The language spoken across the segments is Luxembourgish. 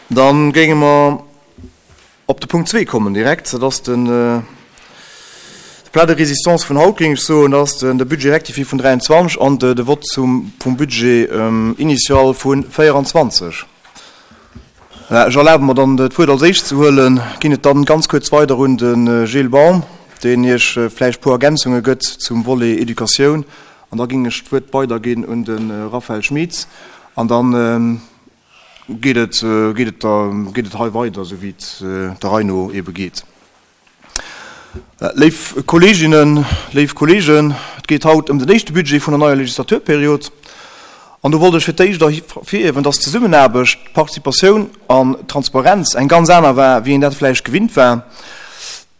Da géinge mer op de Punkt zwee kommen direkt. Dat ass den de Plat de résistance vun haut, géing ech soen. Dat ass de Budget rectifié vun 23 an de Vott zum vum Budget initial vu 24. Ech erlabe mer dann, d'Wuert als éischt ze huelen, ginn et dann ganz kuerz weider un de Gilles Baum, deen Iech vläicht e puer Ergänzunge gëtt zum Volet Educatioun. An da géing ech d'Wuert weiderginn un de Raphaël Schmitz an da geet et, geet et da, geet et hei weider, esou wéi et der Rei no eebe geet. Léif Kolleeginnen, léif Kolleegen, et geet haut ëm den éischte Budget vun der neier Legislaturperiod. An do wollt ech fir d'éischt ervirhiewen, dass d'Zesummenaarbecht, d'Participatioun an d'Transparenz eng ganz aner war, wéi een dat vläicht gewinnt war.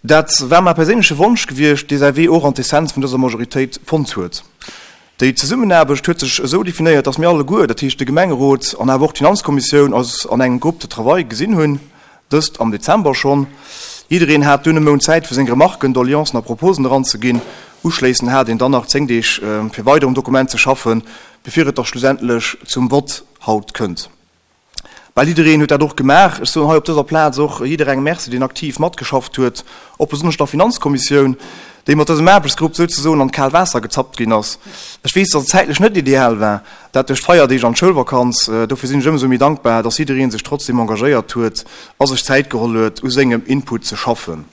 Dat war mäi perséinleche Wonsch gewiescht, dee säi Wee och an d'Essenz vun dëser Majoritéit fonnt huet. Déi Zesummenaarbecht huet sech esou definéiert, dass mir alleguer, dat heescht de Gemengerot an awer och d'Finanzkommissioun, eis an engem Groupe de travail gesinn hunn, dëst am Dezember schonn. Jiddereen hat dunn e Mount Zäit fir seng Remarken, Doleancen a Proposen eranzeginn. Uschléissend hat een dann nach 10 Deeg fir weider um Dokument ze schaffen, bevir et da schlussendlech zum Vott haut kënnt. Bal jiddereen huet dat och gemaach. Ech soen hei op dëser Plaz och jidderengem Merci, deen aktiv matgeschafft huet, och besonnesch der Finanzkommissioun, déi mat dësem Aarbechtsgrupp souzesoen an d'kaalt Waasser gezappt ginn ass. Ech weess, dass et zäitlech net ideal war, dat duerch d'Feierdeeg an d'Schoulvakanz. Dofir sinn ech ëmsou méi dankbar, dass jidderee sech trotzdeem engagéiert huet a sech Zäit geholl huet, u sengem Input ze schaffen.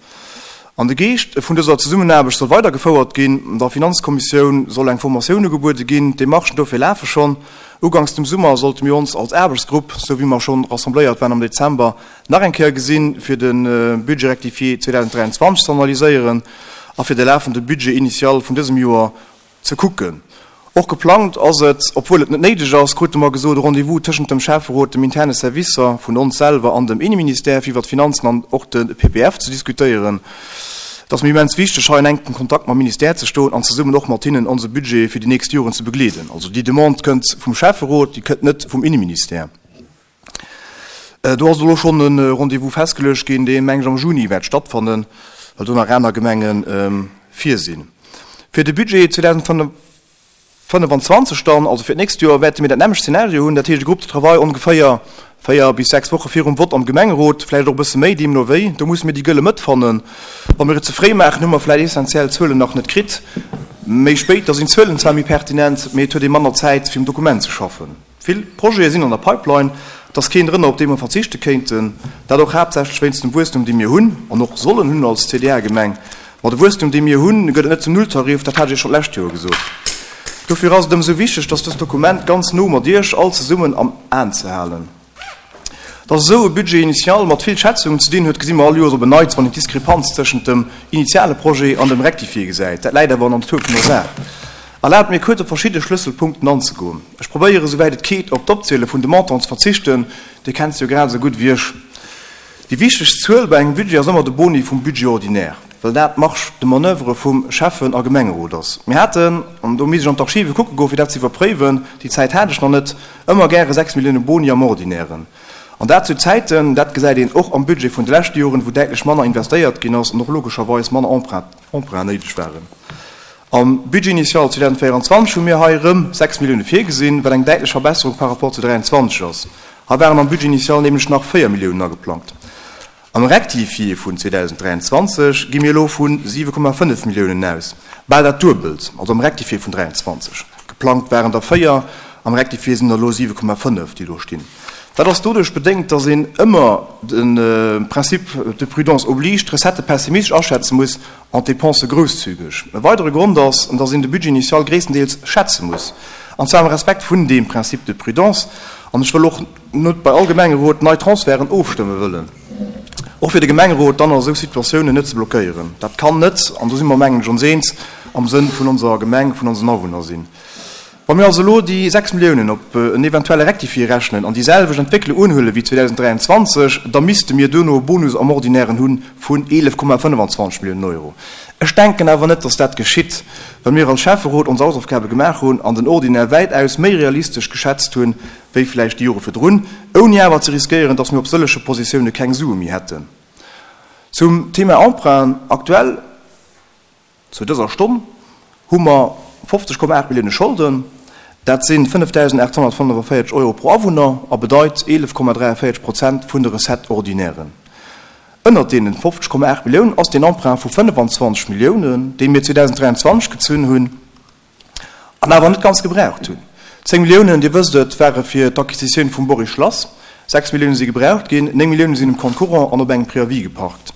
An de Geescht vun dëser Zesummenaarbecht soll weidergefouert ginn. Der Finanzkommissioun soll eng Formatioun ugebuede ginn. D'Demarchen dofir lafe schonn. Uganks dem Summer sollte mir ons als Aarbechtsgrupp, sou wéi mer schonn rassembléiert waren am Dezember, nach eng Kéier gesinn, fir de Budget rectifié 2023 ze analyséieren a fir de lafende Budget initial vun dësem Joer ze kucken. Och geplangt ass et, obwuel et net néideg ass, krute mer gesot, e Rendez-vous tëschent dem Schäfferot, dem interne Servicer vun ons selwer an dem Inneministère, fir iwwer d'Finanzen an och de PPF ze diskutéieren. Et ass mir immens wichteg, hei an enkem Kontakt mam Ministère ze stoen an zesummen och mat hinnen onse Budget fir déi nächst Joren ze begleeden. Also déi Demande kënnt vum Schäfferot, déi kënnt net vum Inneministère. Do ass elo schonn e Rendez-vous festgeluecht ginn, dee meng ech am Juni wäert stattfannen, well do nach aner Gemenge vir sinn. Fir de Budget 2025 dann, also fir d'nächst Joer, wäerte mir dat nämmlecht Zeenario hunn, dat heescht e Groupe de travail ongeféier 4 bis 6 Woche virum Vott am Gemengerot, vläicht och e bësse méi, deemno wéi. Do musse mir déi gëlle Mëtt fannen. Wa mir et ze fréi maachen, hu mer vläicht essentiell Zuelen nach net kritt. Méi spéit, da sinn d'Zuelen zwar méi pertinent, mee et huet ee manner Zäit, fir um Dokument ze schaffen. Vill Projete sinn an der Pipeline, et ass keen drënner, op dee mer verzichte kéinten. Dat och haaptsächlech wéinst dem Wuesstum, dee mir hunn an och sollen hunn als CDA-Gemeng. Ma de Wuesstum, dee mir hunn, gëtt et net zum Nulltarif, dat hat ech Iech schonn d'lescht Joer gesot. Dofir ass et ëmsou wichteg, dass dëst Dokument ganz no mat Iech all zesummen am Aen ze halen. Dass esou e Budget initial mat vill Schätzungen ze dinn huet, gesi mer all Joers op en Neits, wann een d'Diskrepanz tëschent dem initiale Projet an dem Rectifié gesäit. Dat läit awer an der Natur vun der Saach. Erlaabt mir kuerz op verschidde Schlësselpunkten anzegoen. Ech probéieren, esouwäit et geet, op d'Opziele vun de Montanten ze verzichten, Dir kennt se jo grad esou gutt wéi ech. Déi wichtegst Zuel bei engem Budget ass ëmmer de Boni vum Budget ordinaire, well dat d'Marge de manoeuvre vum Schäffen a Gemengerot ass. Mir haten, an do misst ech an d'Archive kucke goen, fir dat ze iwwerpréiwen, déi Zäit hat ech nach net, ëmmer gäre 6 Millioune Boni am Ordinairen. An dat zu Zäiten, dat gesäit een och am Budget vun de leschte Joren, wou däitlech manner investéiert ginn ass an och logescherweis manner Emprunten néideg waren. Am Budget initial 2024 hu mir hei erëm 6 Millioune virgesinn, wat eng däitlech Verbesserung par rapport zu 23 ass. Hei waren am Budget initial nämlech nach 4 Milliounen ageplangt. Am Rectifié vun 2023 gi mir elo vu 7,5 Milliounen aus, bal dat Duebelt, also am Rectifié vun 23. Geplangt waren der 4, am Rectifié sinn der elo 7,5, déi do stinn. Dat ass doduerch bedéngt, dass een ëmmer, de Principe de prudence oblige, d'Recettë pessimistesch aschätze muss an d'Dépensë grousszügeg. E weidere Grond ass, dass een de Budget initial gréisstendeels schätze muss, an zwar am Respekt vun deem Principe de prudence. An ech wëll och net bei all Gemengerot nei Transferten ofstëmme wëllen, och fir de Gemengerot dann a esou Situatiounen net ze blockéieren. Dat kann net, an do si mer mengen ech ons eens, am Sënn vun onser Gemeng, vun onsen Awunner sinn. Wa mir also elo déi 6 Milliounen op en eventuelle Rectifié rechnen an déi selwecht Entwécklung unhuele wéi 2023, da misste mir duerno e Bonus am Ordinairen hu vun 11,25 Milliounen Euro. Ech denken awer net, dass dat geschitt, well mir als Schäfferot ons Hausaufgabe gemaach hunn an den Ordinaire wäitaus méi realistesch geschätzt hunn, wéi vläicht déi Jore virdrun, ouni awer ze riskéieren, dass mir op sëllege Positioune keng Sue méi hätten. Zum Thema Emprunt, Aktuell Zu dëser Stonn hu mer 50,8 Millioune Scholden. Dat si 5.845 Euro pro Awunner a bedeit 11,43 Prozent vun de Recette-ordinairen. Ënnert deenen 50,8 Milliounen ass deen Emprunt vu 25 Milliounen, dee mir 2023 gezunn hunn an awer net ganz gebraucht hunn. 10 Milliounen, Dir wësst et, ware fir d'Acquisitioun vum Boris Schlass. 6 Millioune si gebraucht ginn, 9 Millioune sinn um Compte courant an op engem Préavis geparkt.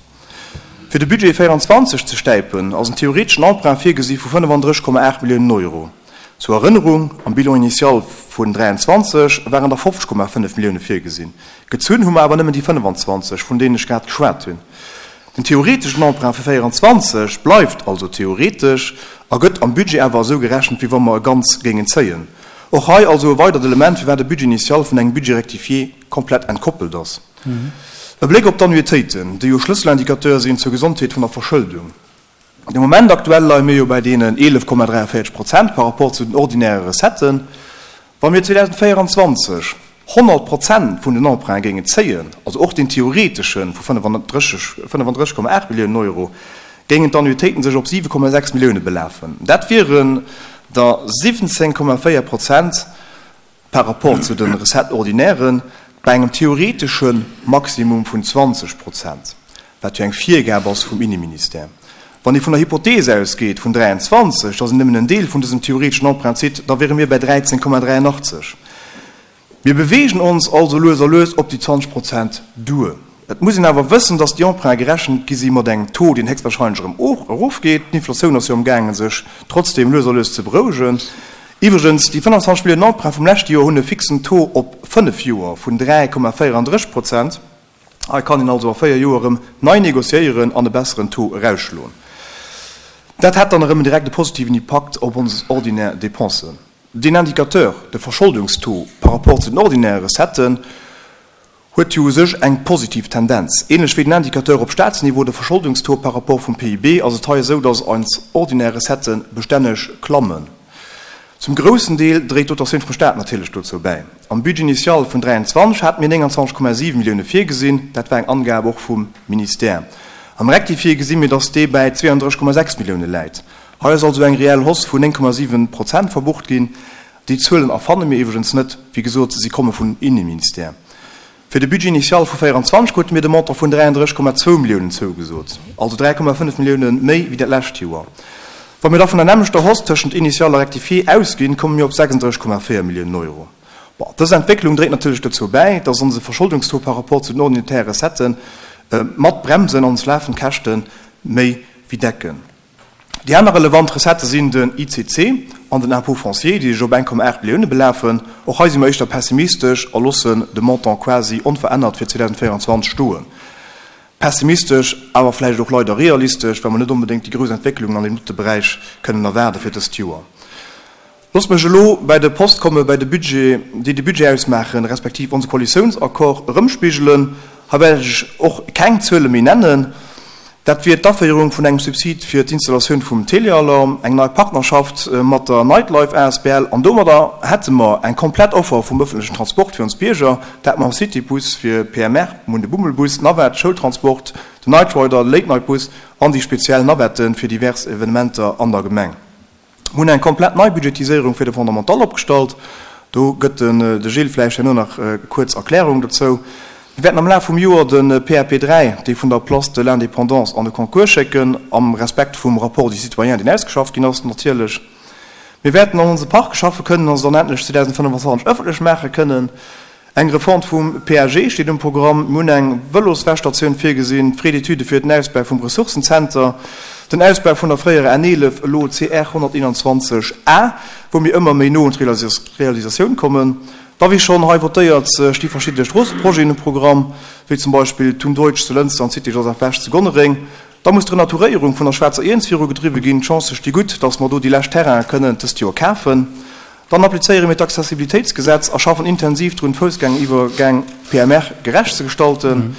Fir de Budget 24 ze stäipen, ass en theoreteschen Emprunt virgesi vu 35,8 Milliounen Euro. Zur Erënnerung, Am Bilan initial vun 23 waren der 50,5 Millioune virgesinn. Gezunn hu mer awer nëmmen déi 25, vun deenen ech grad geschwat hunn. Den theoreteschen Emprunt fir 24 bleift also theoretesch a gëtt am Budget awer esou gerechent, wéi wa mer e ganz géingen zéien. Och hei also e weidert Element, firwat e Budget initial vun engem Budget rectifié komplett entkoppelt ass. E Bléck op d'Annuitéiten, déi jo Schlësselindicateur sinn zur Gesondheet vun der Verschëldung. De Moment aktuell leie mir jo bäi deenen 11,43 Prozent par rapport zu den ordinäre Recetten. Wa mir 2024 100 Prozent vun den Emprunte géingen zéien, also och deen theoretesche vu 35,8 Milliounen Euro, géingen d'Annuitéiten sech op 7,6 Millioune belafen. Dat wieren der 17,4 Prozent par rapport zu de Recettes ordinairen, bei engem theoretesche Maximum vun 20 Prozent, wat jo eng Virgab ass vum Inneministère. Wann ee vun der Hypothees ausgeet vun 23, dass een nëmmen en Deel vun dësem theoreteschen Emprunt zitt, da wiere mir bei 13,83. Mir beweegen ons also lues a lues op déi 20 Prozent duer. Et muss een awer wëssen, dass déi Emprunte gerechent gi si mat engem Taux, deen héchstwahrscheinlech erëm erofgeet. D'Inflatioun ass jo amgaangen, sech trotzdeem lues a lues ze berouegen. Iwwregens, déi 25 Milliounen Emprunt vum leschte Joer hunn e fixen Taux op fënnef Joer vun 3,34 Prozent. Hei kann een also a véier Joer erëm nei négociéieren an e besseren Taux erausschloen. Dat hätt dann erëm en direkte positiven Impakt op ons ordinär Dépensen. Deen Indicateur, de Verscholdungstaux par rapport zu den ordinäre Recetten, huet jo u sech eng positiv Tendenz. Ähnlech wéi den Indicateur op Staatsniveau, de Verscholdungstaux par rapport vum PIB, ass et hei esou, dass eis ordinär Recettë bestänneg klammen. Zum groussen Deel dréit d'Dotatioun vum Staat natierlech dozou bäi. Am Budget initial vun 23 hate mir 29,7 Millioune virgesinn, dat war eng Angab och vum Ministère. Am Rectifié gesi mir, dass dee bäi 32,6 Millioune läit. Hei ass also eng reell Hausse vun 9,7 Prozent verbucht ginn. Déi Zuelen erfanne mir iwwregens net, wéi gesot, si komme vun Inneministère. Fir de Budget initial vu 24 krute mir de Montant vun 33,2 Milliounen zougesot, also 3,5 Millioune méi wéi dat lescht Joer. Wa mir da vun der nämmlechter Hausse tëschent Initial a Rectifié ausginn, komme mir op 36,4 Milliounen Euro. Bon, dës Entwécklung dréit natierlech dozou bäi, dass onse Verscholdungstaux par rapport zu den ordinäre Recettë mat bremsen an ons lafend Käschte méi wéi decken. Déi aner relevant Recettë sinn den ICC an den Impôt foncier, déi sech op 1,8 Millioune belafen. Och hei si mer éischter pessimistesch a loossen de Montant quasi onverännert fir 2024 stoen. Pessimistesch, awer vläicht och leider realistesch, well mer net onbedéngt déi grouss Entwécklungen an deem dote Beräich kënnen erwaarde fir dëst Joer. Loosst mech elo bäi de Post komme bäi de Budget, déi de Budget ausmaachen, respektiv onse Koalitiounsaccord erëmspigelen. Hei wäert ech och keng Zuele méi nennen. Dat wier d'Aféierung vun engem Subsid fir d'Installatioun vum Telealarm, eng nei Partnerschaft mat der Nightlife asbl an domadder hätte mer eng komplett Offer vum ëffentlechen Transport fir ons Bierger, dat mam Citybus fir PMR, mir hunn de Bummelbus, d'Navette, Schoultransport, den Nightrider, de Late-Night-Bus an déi speziell Navetten fir divers Evenementer an der Gemeng. Mir hunn eng komplett nei Budgetiséierung fir de Fondamental opgestallt. Do gëtt de Gilles vläicht herno nach kuerz Erklärungen dozou. Mir wäerten am Laf vum Joer de PAP 3, dee vun der Place de l'Indépendance, an de Concours schécken, am Respekt vum Rapport du citoyen, deen ausgeschafft ginn ass natierlech. Mir wäerten an onse Parke schaffe kënnen a se dann endlech 2025 ëffentlech maache kënnen. Eng Refonte vum PAG steet um Programm. Mir hunn eng Vëloswäschstatioun virgesinn, Frais d'études fir den Ausbau vum Ressourcenzenter, den Ausbau vun der fréierer N11, elo CR 121 A, wou mir ëmmer méi no un d'Realisatioun kommen. Da wéi schonn hei votéiert, sti verschidde Stroosseprojeten um Programm, wéi zum Beispill d'Thun Deutsch zu Lënster an d'Cité Joseph Bech zu Gonnereng. Da muss d'Renaturéierung vun der Schwaarzer Iernz virugedriwwe ginn. D'Chancë sti gutt, datt mer do déi lescht Terraine kënnen dëst Joer kafen. Dann applizéiere mir d'Accessibilitéitsgesetz a schaffen intensiv drun, d'Foussgängeriwwergäng PMR gerecht ze gestalten.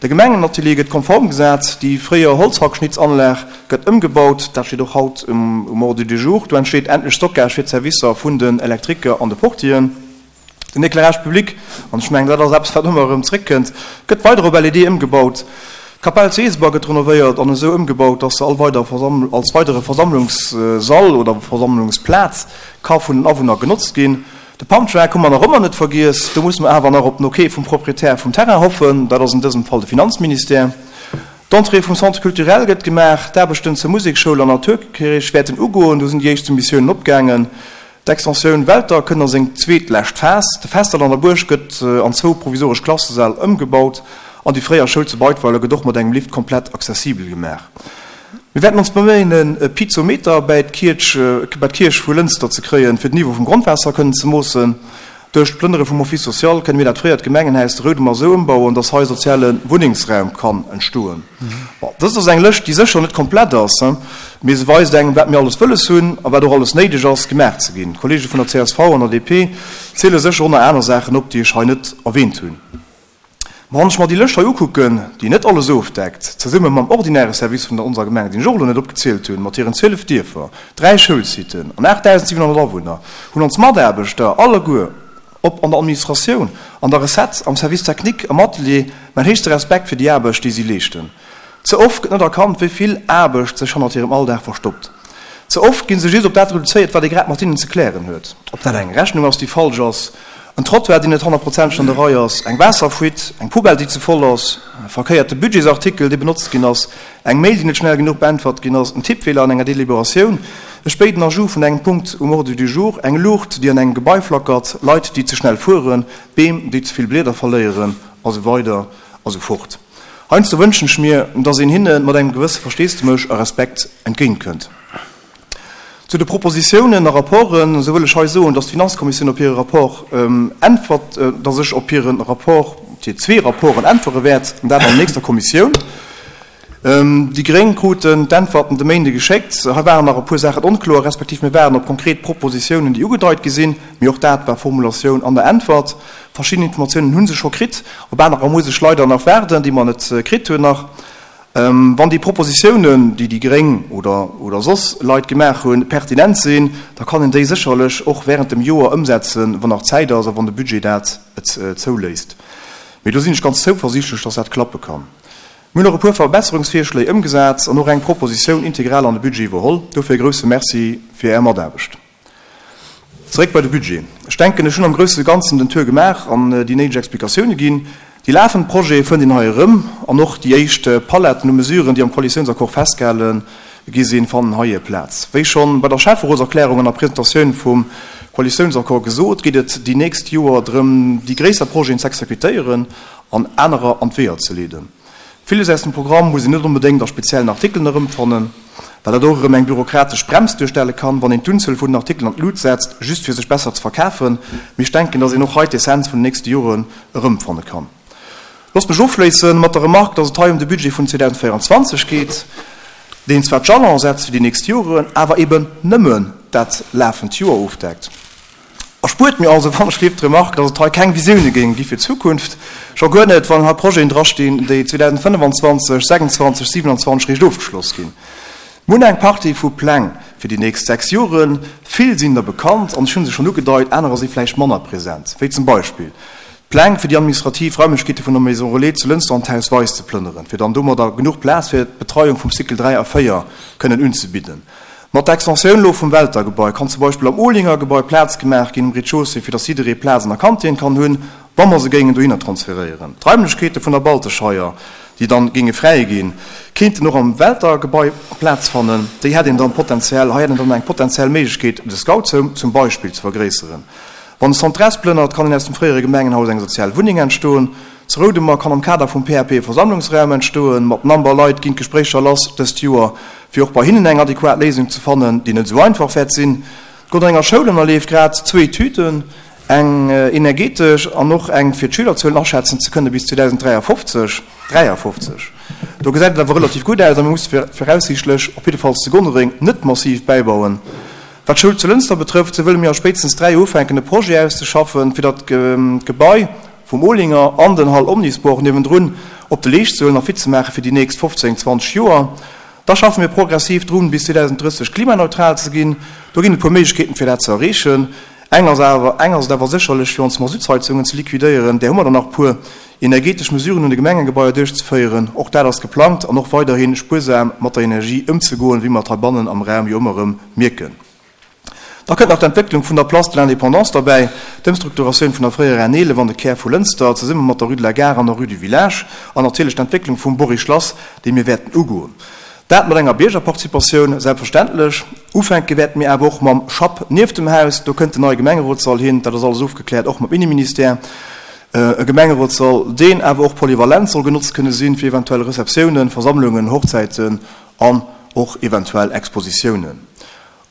De Gemengenatelier gëtt konform gesat, déi fréier Holzhackschnitzanlag gëtt ëmgebaut, dat steet och haut um Ordre du jour. Do entsteet endlech Stockage fir d'Servicer vun den Elektriker an de Portieren. Den Éclairage public, an ech mengen, dat ass eppes, wat ëmmer erëm zréckkënnt, gëtt weider op LED ëmgebaut. D'Kapell zu Eeseber gëtt renovéiert an esou ëmgebaut, dass se all weider als weidere Versammlungssall oder Versammlungsplaz ka vun den Awunner genotzt ginn. De Pumptrack hu mer nach ëmmer net vergiess. Do musse mer awer nach op den Ok vum Proprietär vum Terrain hoffen. Dat ass an dësem Fall de Finanzministère. D'Entrée vum Centre culturel gëtt gemaach. D'Aarbechten zur Musekschoul an Naturkierch wäerten ugoen. Do sinn déi éischt Soumissiounen opgaangen. D'Extensioun Welter kënnt a seng zweetlescht Phas. De Festall an der Buerg gëtt an zwou provisoresch Klassesäll ëmgebaut an déi fréier Schoul zu Beidweiler gëtt och mat engem Lift komplett accessibel gemaach. Mir wäerten ons beméien, e Piezometer bäi d'Kierch vu Lënster ze kréien, fir den Niveau vum Grondwaasser kënnen ze moossen. Duerch d'Plënnere vum Office social kënne mir dat fréiert Gemengenhaus de Roudemer esou ëmbauen, dass hei soziale Wunnengsraum kann entstoen. Bon, dëst ass eng Lëscht, déi sécher net komplett ass, mee se weist engem, wat mir alles wëlles hunn a wat och alles néideg ass, gemaach ze ginn. D'Kollege vun der csv an der DP ziele sécher och nach aner Saachen op, déi ech hei net erwähnt hunn. Ma wann ech mer déi Lëscht hei ukucken, déi net alles ofdeckt, zesumme mam ordinäre Service vun der onser Gemeng, deen ech och elo net opgezielt hunn, mat hiren 12 Dierfer, 3 Schoulsiten an 8.700 Awunner, hunn ons Mataarbechter alleguer, ob an der Administratioun, an der Recette, am Service technique, am Atelier, mäin héchste Respekt fir déi Aarbecht, déi si leeschten. Ze oft gëtt net erkannt, wéi vill Aarbecht sech hannert hirem Alldag verstoppt. Ze oft gi se just op dat reduzéiert, wat ee grad mat hinnen ze klären huet. Ob dat eng Rechnung ass, déi falsch ass, en Trottoir, deen net honnertprozenteg an der Rei ass, eng Waasserfuite, eng Poubelle, déi ze voll ass, e verkéierte Budgetsartikel, dee benotzt ginn ass, eng Mail, déi net schnell genuch beäntwert ginn ass, en Tippfeeler an enger Deliberatioun, e spéiden Ajout vun engem Punkt um Ordre du jour, eng Luucht, déi an engem Gebai flackert, Leit, déi ze schnell fueren, Beem, déi ze vill Blieder verléieren, a sou weider a sou fort. Heiansdo wënschen ech mir, dass een hinne mat engem gewësse Versteesdemech a Respekt entgéintkënnt. Zu de Propositiounen a Rapporten, esou wëll ech hei soen, dass d'Finanzkommissioun op hire Rapport äntwert, dass ech op hire Rapport, op hir zwee Rapporten äntwere wäert, an dat an der nächster Kommissioun. Déi Gréng kruten d'Äntwerten de Méinde geschéckt. Hei waren nach e puer Saachen onkloer, respektiv mir waarden op konkret Propositiounen, déi ugedeit gi sinn. Mee och dat war Formulatioun an der Äntwert. Verschidden Informatiounen hu se scho kritt, op anerer muss ech leider nach waarden, déi mer net kritt hunn nach. Wann déi Propositiounen, déi déi Gréng oder oder soss Leit gemaach hunn, pertinent sinn, da kann een déi sécherlech och während dem Joer ëmsetzen, wann nach Zäit ass a wann de Budget dat zouléisst. Mee do sinn ech ganz zouversiichtlech, dass dat klappe kann. Mir hunn och e puer Verbesserungsvirschléi ëmgesat an och eng Propositioun integral an de Budget iwwerholl. Dofir e grousse Merci fir Är Mataarbecht. Zeréck bei de Budget. Ech denken, ech hunn am grousse Ganzen den Tour gemaach an déi néideg Explikatioune ginn. Déi lafend Projete fënnt een hei erëm an och déi éischt Paletten u Mesuren, déi am Koalitiounsaccord festgehale gi sinn, fannen hei hir Plaz. Wéi schonn bei der Schäfferotserklärung an der Presentatioun vum Koalitiounsaccord gesot, geet et déi nächst Joer drëm, déi gréisser Projeten z'exekutéieren an anerer an d'Weeër ze leeden. Villes aus dem Programm muss een net onbedéngt a speziellen Artikelen erëmfannen, well dat och erëm eng bürokratesch Brems duerstelle kann, wann een d'Unzuel vun den Artikelen an d'Lut setzt, just fir sech besser ze verkafen. Mee ech denken, dass een och hei d'Essenz vun den nächste Joren erëmfanne kann. Loosst mech ofschléisse mat der Remarque, dass et hei ëm de Budget vun 2024 geet, deen zwar d'Jalone setzt fir déi nächst Joren, awer eben nëmmen dat lafend Joer ofdeckt. Erspuert mir also wann ech lift d'Remarque, dass et hei keng Visioune géing gi fir d'Zukunft, scho guer net, wann hei Projeten drastinn, déi 2025, 26, 27 réischt ofgeschloss ginn. Mir hunn eng Partie vu Pläng fir déi nächst 6 Joren. Vill sinn der bekannt an ech hu se schonn ugedeit, anerer si vläicht manner present, wéi zum Beispill d'Pläng fir déi administrativ Raimlechkeete vun der Maison Relais zu Lënster an d'Haus Weis ze plënneren, fir dann domadder genuch Plaz fir d'Betreiung vum Cycle 3 a 4 kënnen unzebidden. Mat der Extensioun elo vum Welter-Gebai kann zum Beispill am Olinger-Gebai Plaz gemaach ginn um Rez-de-chaussée, fir datt jidderee Plaz an der Kantin kann hunn, wa mer se géingen dohinner transferéieren. D'Raimlechkeete vun der Baltescheier, déi dann géinge fräi ginn, kéinten och am Welter-Gebai Plaz fannen. Déi hätt een dann potenziell, hei hätt een dann eng potenziell Méiglechkeet, de Scoutshome zum Beispill ze vergréisseren. Wann de Centre-S plënnert, kann een aus dem fréiere Gemengenhaus eng sozial Wunneng entstoen. Zu Roudemer kann am Kader vum PAP e Versammlungsraum entstoen. Mat Namber Leit ginn d'Gespréicher lass dëst Joer, fir och bei hinnen eng adequat Léisung ze fannen, déi net esou einfach wäert sinn. D'Gonnerenger Schoul ënnerleeft grad zwou Etüden, eng energetesch an och eng fir d'Schülerzuelen aschätzen ze kënne bis 2053. 53. Do gesäit et awer relativ gutt aus a mir musse viraussiichtlech op jiddefalls zu Gonnereng net massiv bäibauen. Wat d'Schoul zu Lënster betrëfft, sou wëlle mir a spéitstens 3 Joer ufänken e Projet auszeschaffen, fir datt d'Gebai vum Olinger an den Hall Omnisport niewendrun op de Leescht ze huelen a fit ze maache fir déi nächst 15, 20 Joer. Da schaffe mir progressiv drun, bis 2030 klimaneutral ze ginn. Do ginn et e puer Méiglechkeeten, fir dat ze erreechen. Eng ass awer, eng ass et awer sécherlech, fir ons Masuttsheizungen ze liquidéieren, där hu mer der nach e puer, energetesch Mesuren un de Gemengegebaier duerchzeféieren, och dat ass geplangt, an och weiderhi spuersam mat der Energie ëmzegoen, wéi mer et heibannen am Raum jo ëmmer erëm mierken. Da kënnt nach d'Entwécklung vun der Place de l'Indépendance derbäi, d'Ëmstrukturatioun vun der fréierer N11 an de Kär vu Lënster, zesumme mat der Rue de la Gare an der Rue du Village, an natierlech d'Entwécklung vum Bory-Schlass, déi mir wäerten ugoen. Dat mat enger Biergerparticipatioun, selbstverständlech. Ufänke wäerte mir awer och mam Schapp nieft dem Haus. Do kënnt den neie Gemengerotssall hin, dat ass alles ofgekläert, och mam Inneministère. E Gemengerotssall, deen awer och polyvalent soll genotzt kënne sinn, fir eventuell Receptiounen, Versammlungen, Hochzäiten an och eventuell Expositiounen.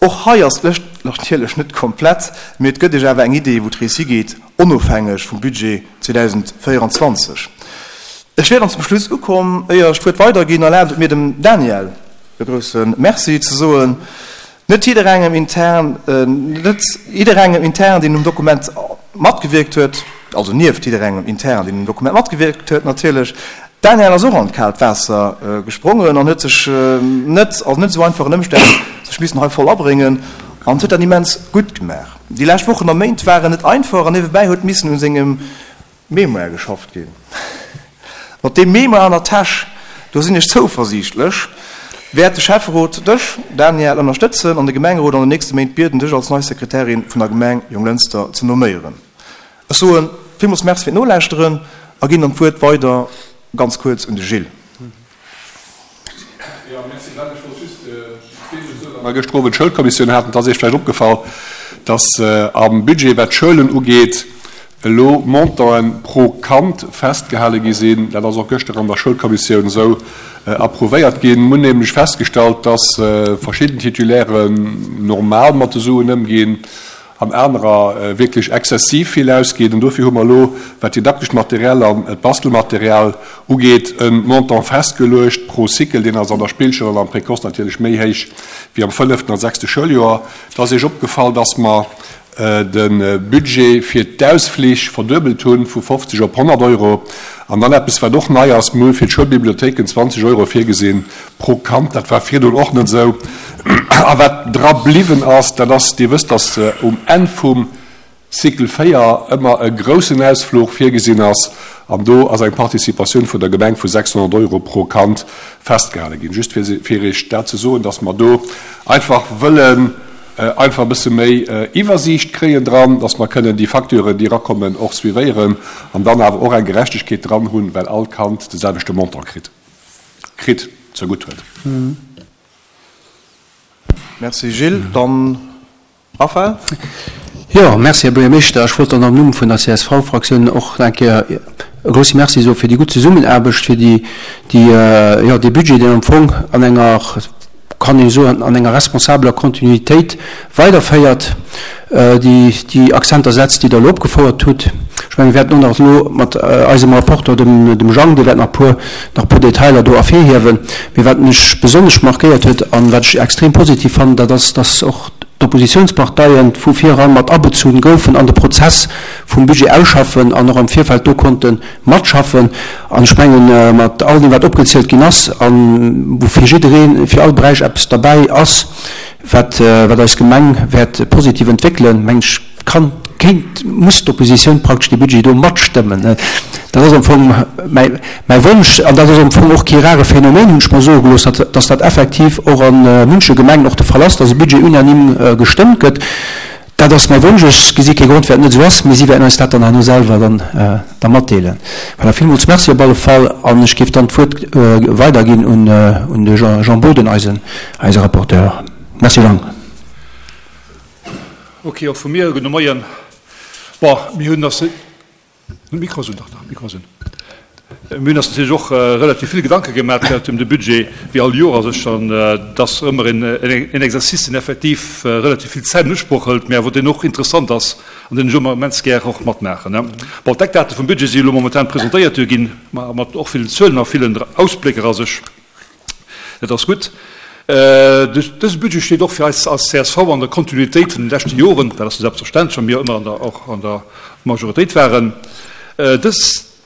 Och hei ass d'Lëscht natierlech net komplett, mee et gëtt Iech awer eng Idee, wou d'Rees higeet, onofhängeg vum Budget 2024. Ech wier dann zum Schluss ukomm. Éier ech d'Wuert weiderginn, erlaabt et mir dem Daniel e grousse Merci ze soen. Net jidderengem intern, net jidderengem intern, deen um Dokument matgewierkt huet, also nieft jidderengem intern, deen um Dokument matgewierkt huet natierlech, D'Danièle ass och an d'kaalt Waasser gesprongen an huet sech net, also net esou einfach en Ëmstänn, sech missen hei voll abréngen an huet dat immens gutt gemaach. Déi lescht Wochen a Méint waren net einfach an niewebäi huet missen un sengem Mémoire geschafft ginn. Mat deem Mémoire an der Täsch, do sinn ech zouversiichtlech, wäert de Schäfferot dech, Danièle, ënnerstëtzen an de Gemengerot an den nächste Méint bieden, dech als nei Sekretärin vun der Gemeng Jonglënster ze nomméieren. Ech soe villmools Merci fir d'Nolauschteren a ginn dann d'Wuert weider ganz kuerz un de Gilles. Jo, merci Glenn. Ech wollt just zweemol soen, well mer gëschter Owend d'Schoulkommissioun haten, et ass Iech vläicht opgefall, dass am Budget, wat d'Schoulen ugeet, elo Montanten pro Kand festgehale gi sinn. Dat ass och gëschter an der Schoulkommissioun esou approuvéiert ginn. Mir hunn nämlech festgestallt, dass verschidden Titulairen normal mat de Suen ëmginn an anerer wierklech exzessiv vill ausginn. An dofir hu mer elo, wat d'didaktescht Material an d'Bastelmaterial ugeet, e Montant festgeluecht pro Cycle. Deen ass an der Spillschoul an am Précoce natierlech méi héich wéi am fënneften a sechste Schouljoer. Et ass Iech opgefall, dass mer de Budget fir d'Ausflich verduebelt hunn, vu 50 op 100 Euro. An dann eppes, wat och nei ass, Mir hu fir d'Schoulbibliothéiken 20 Euro virgesinn Pro Kand, dat war virdrun och net esou. A wat dra bliwwen ass, dat ass, Dir wësst, dass um Enn vum Cycle 4 ëmmer e groussen Ausfluch virgesinn ass, an do ass eng Participatioun vun der Gemeng vu 600 Euro pro Kand festgehale ginn. Just fir Iech dat ze soen, dass mer do einfach wëllen einfach e bësse méi Iwwersiicht kréien dran, dass mer kënnen déi Facturen, déi erakommen, och suivéieren an dann awer och eng Gerechtegkeet dran hunn, well all Kand de selwechte Montant kritt. Kritt, zegutt huet. Merci Gilles. Dann Raphaël. Jo, merci Här Buergermeeschter. Ech wollt dann am Numm vun der CSV-Fraktioun och nach eng Kéier e grousse Merci soe fir déi gutt Zesummenaarbecht, fir déi, déi, jo, dee Budget, deen am Fong an enger, kann ee soen, an enger responsabeler Kontinuitéit weiderféiert, déi déi Akzenter setzt, déi Der elo opgefouert hutt. Ech mengen, mir wäerten och nach elo mat eisem Rapporteur, dem dem Jang, dee wäert nach e puer, nach e puer Detailer do ervirhiewen. Mee wat mech besonnesch markéiert huet an wat ech extrem positiv fannen, dat ass, dass och d'Oppositionsparteien vu vireran mat abezunn goufen an de Prozess vum Budget ausschaffen an och am Virfeld do konnte matschaffen. An ech mengen, mat all deem, wat opgezielt ginn ass a wou fir jiddereen, fir all Beräich eppes derbäi ass, wat wat eis Gemeng wäert positiv entwéckelen, mengen ech, kann, kéint, muss d'Oppositioun praktesch dee Budget do matstëmmen. Dat ass am Fong mäi mäi Wonsch. An dat ass am Fong och kee rare Phänomen, hunn ech mer soe gelooss, datt datt dat effektiv och a munche Gemengen och de Fall ass, datt e Budget unanime gestëmmt gëtt. Dat ass mäi Wonsch. Ech gesi kee Grond, firwat et net esou ass, mee si wäerten eis dat dann herno selwer dann da matdeelen. Voilà, villmools Merci op alle Fall. An ech géif dann d'Wuert weiderginn un un de Jean Boden, eisen eise Rapporteur. Merci Jean. Ok, och vu mir e gudde Moien. Bon, mir hunn ass Mikro ass un, dach, dach, Mikro ass un. Mir hunn eis natierlech och relativ vill Gedanke gemaach gehat ëm de Budget, wéi all Joer a sech, an et ass ëmmer en Exercice, deen effektiv relativ vill Zäit an Usproch hëlt, mä awer deen och interessant ass an deen ech ëmmer immens gär och matmaachen. Bon, d'Eckdate vum Budget si elo momentan presentéiert ginn, mat och villen Zuelen a villen Ausblécker a sech. Dat ass gutt. Dëse Budget steet och fir eis als csv an der Kontinuitéit vun de leschte Joren. Dat ass jo selbstverständlech, wa mir ëmmer an der, och an der Majoritéit waren. Dës,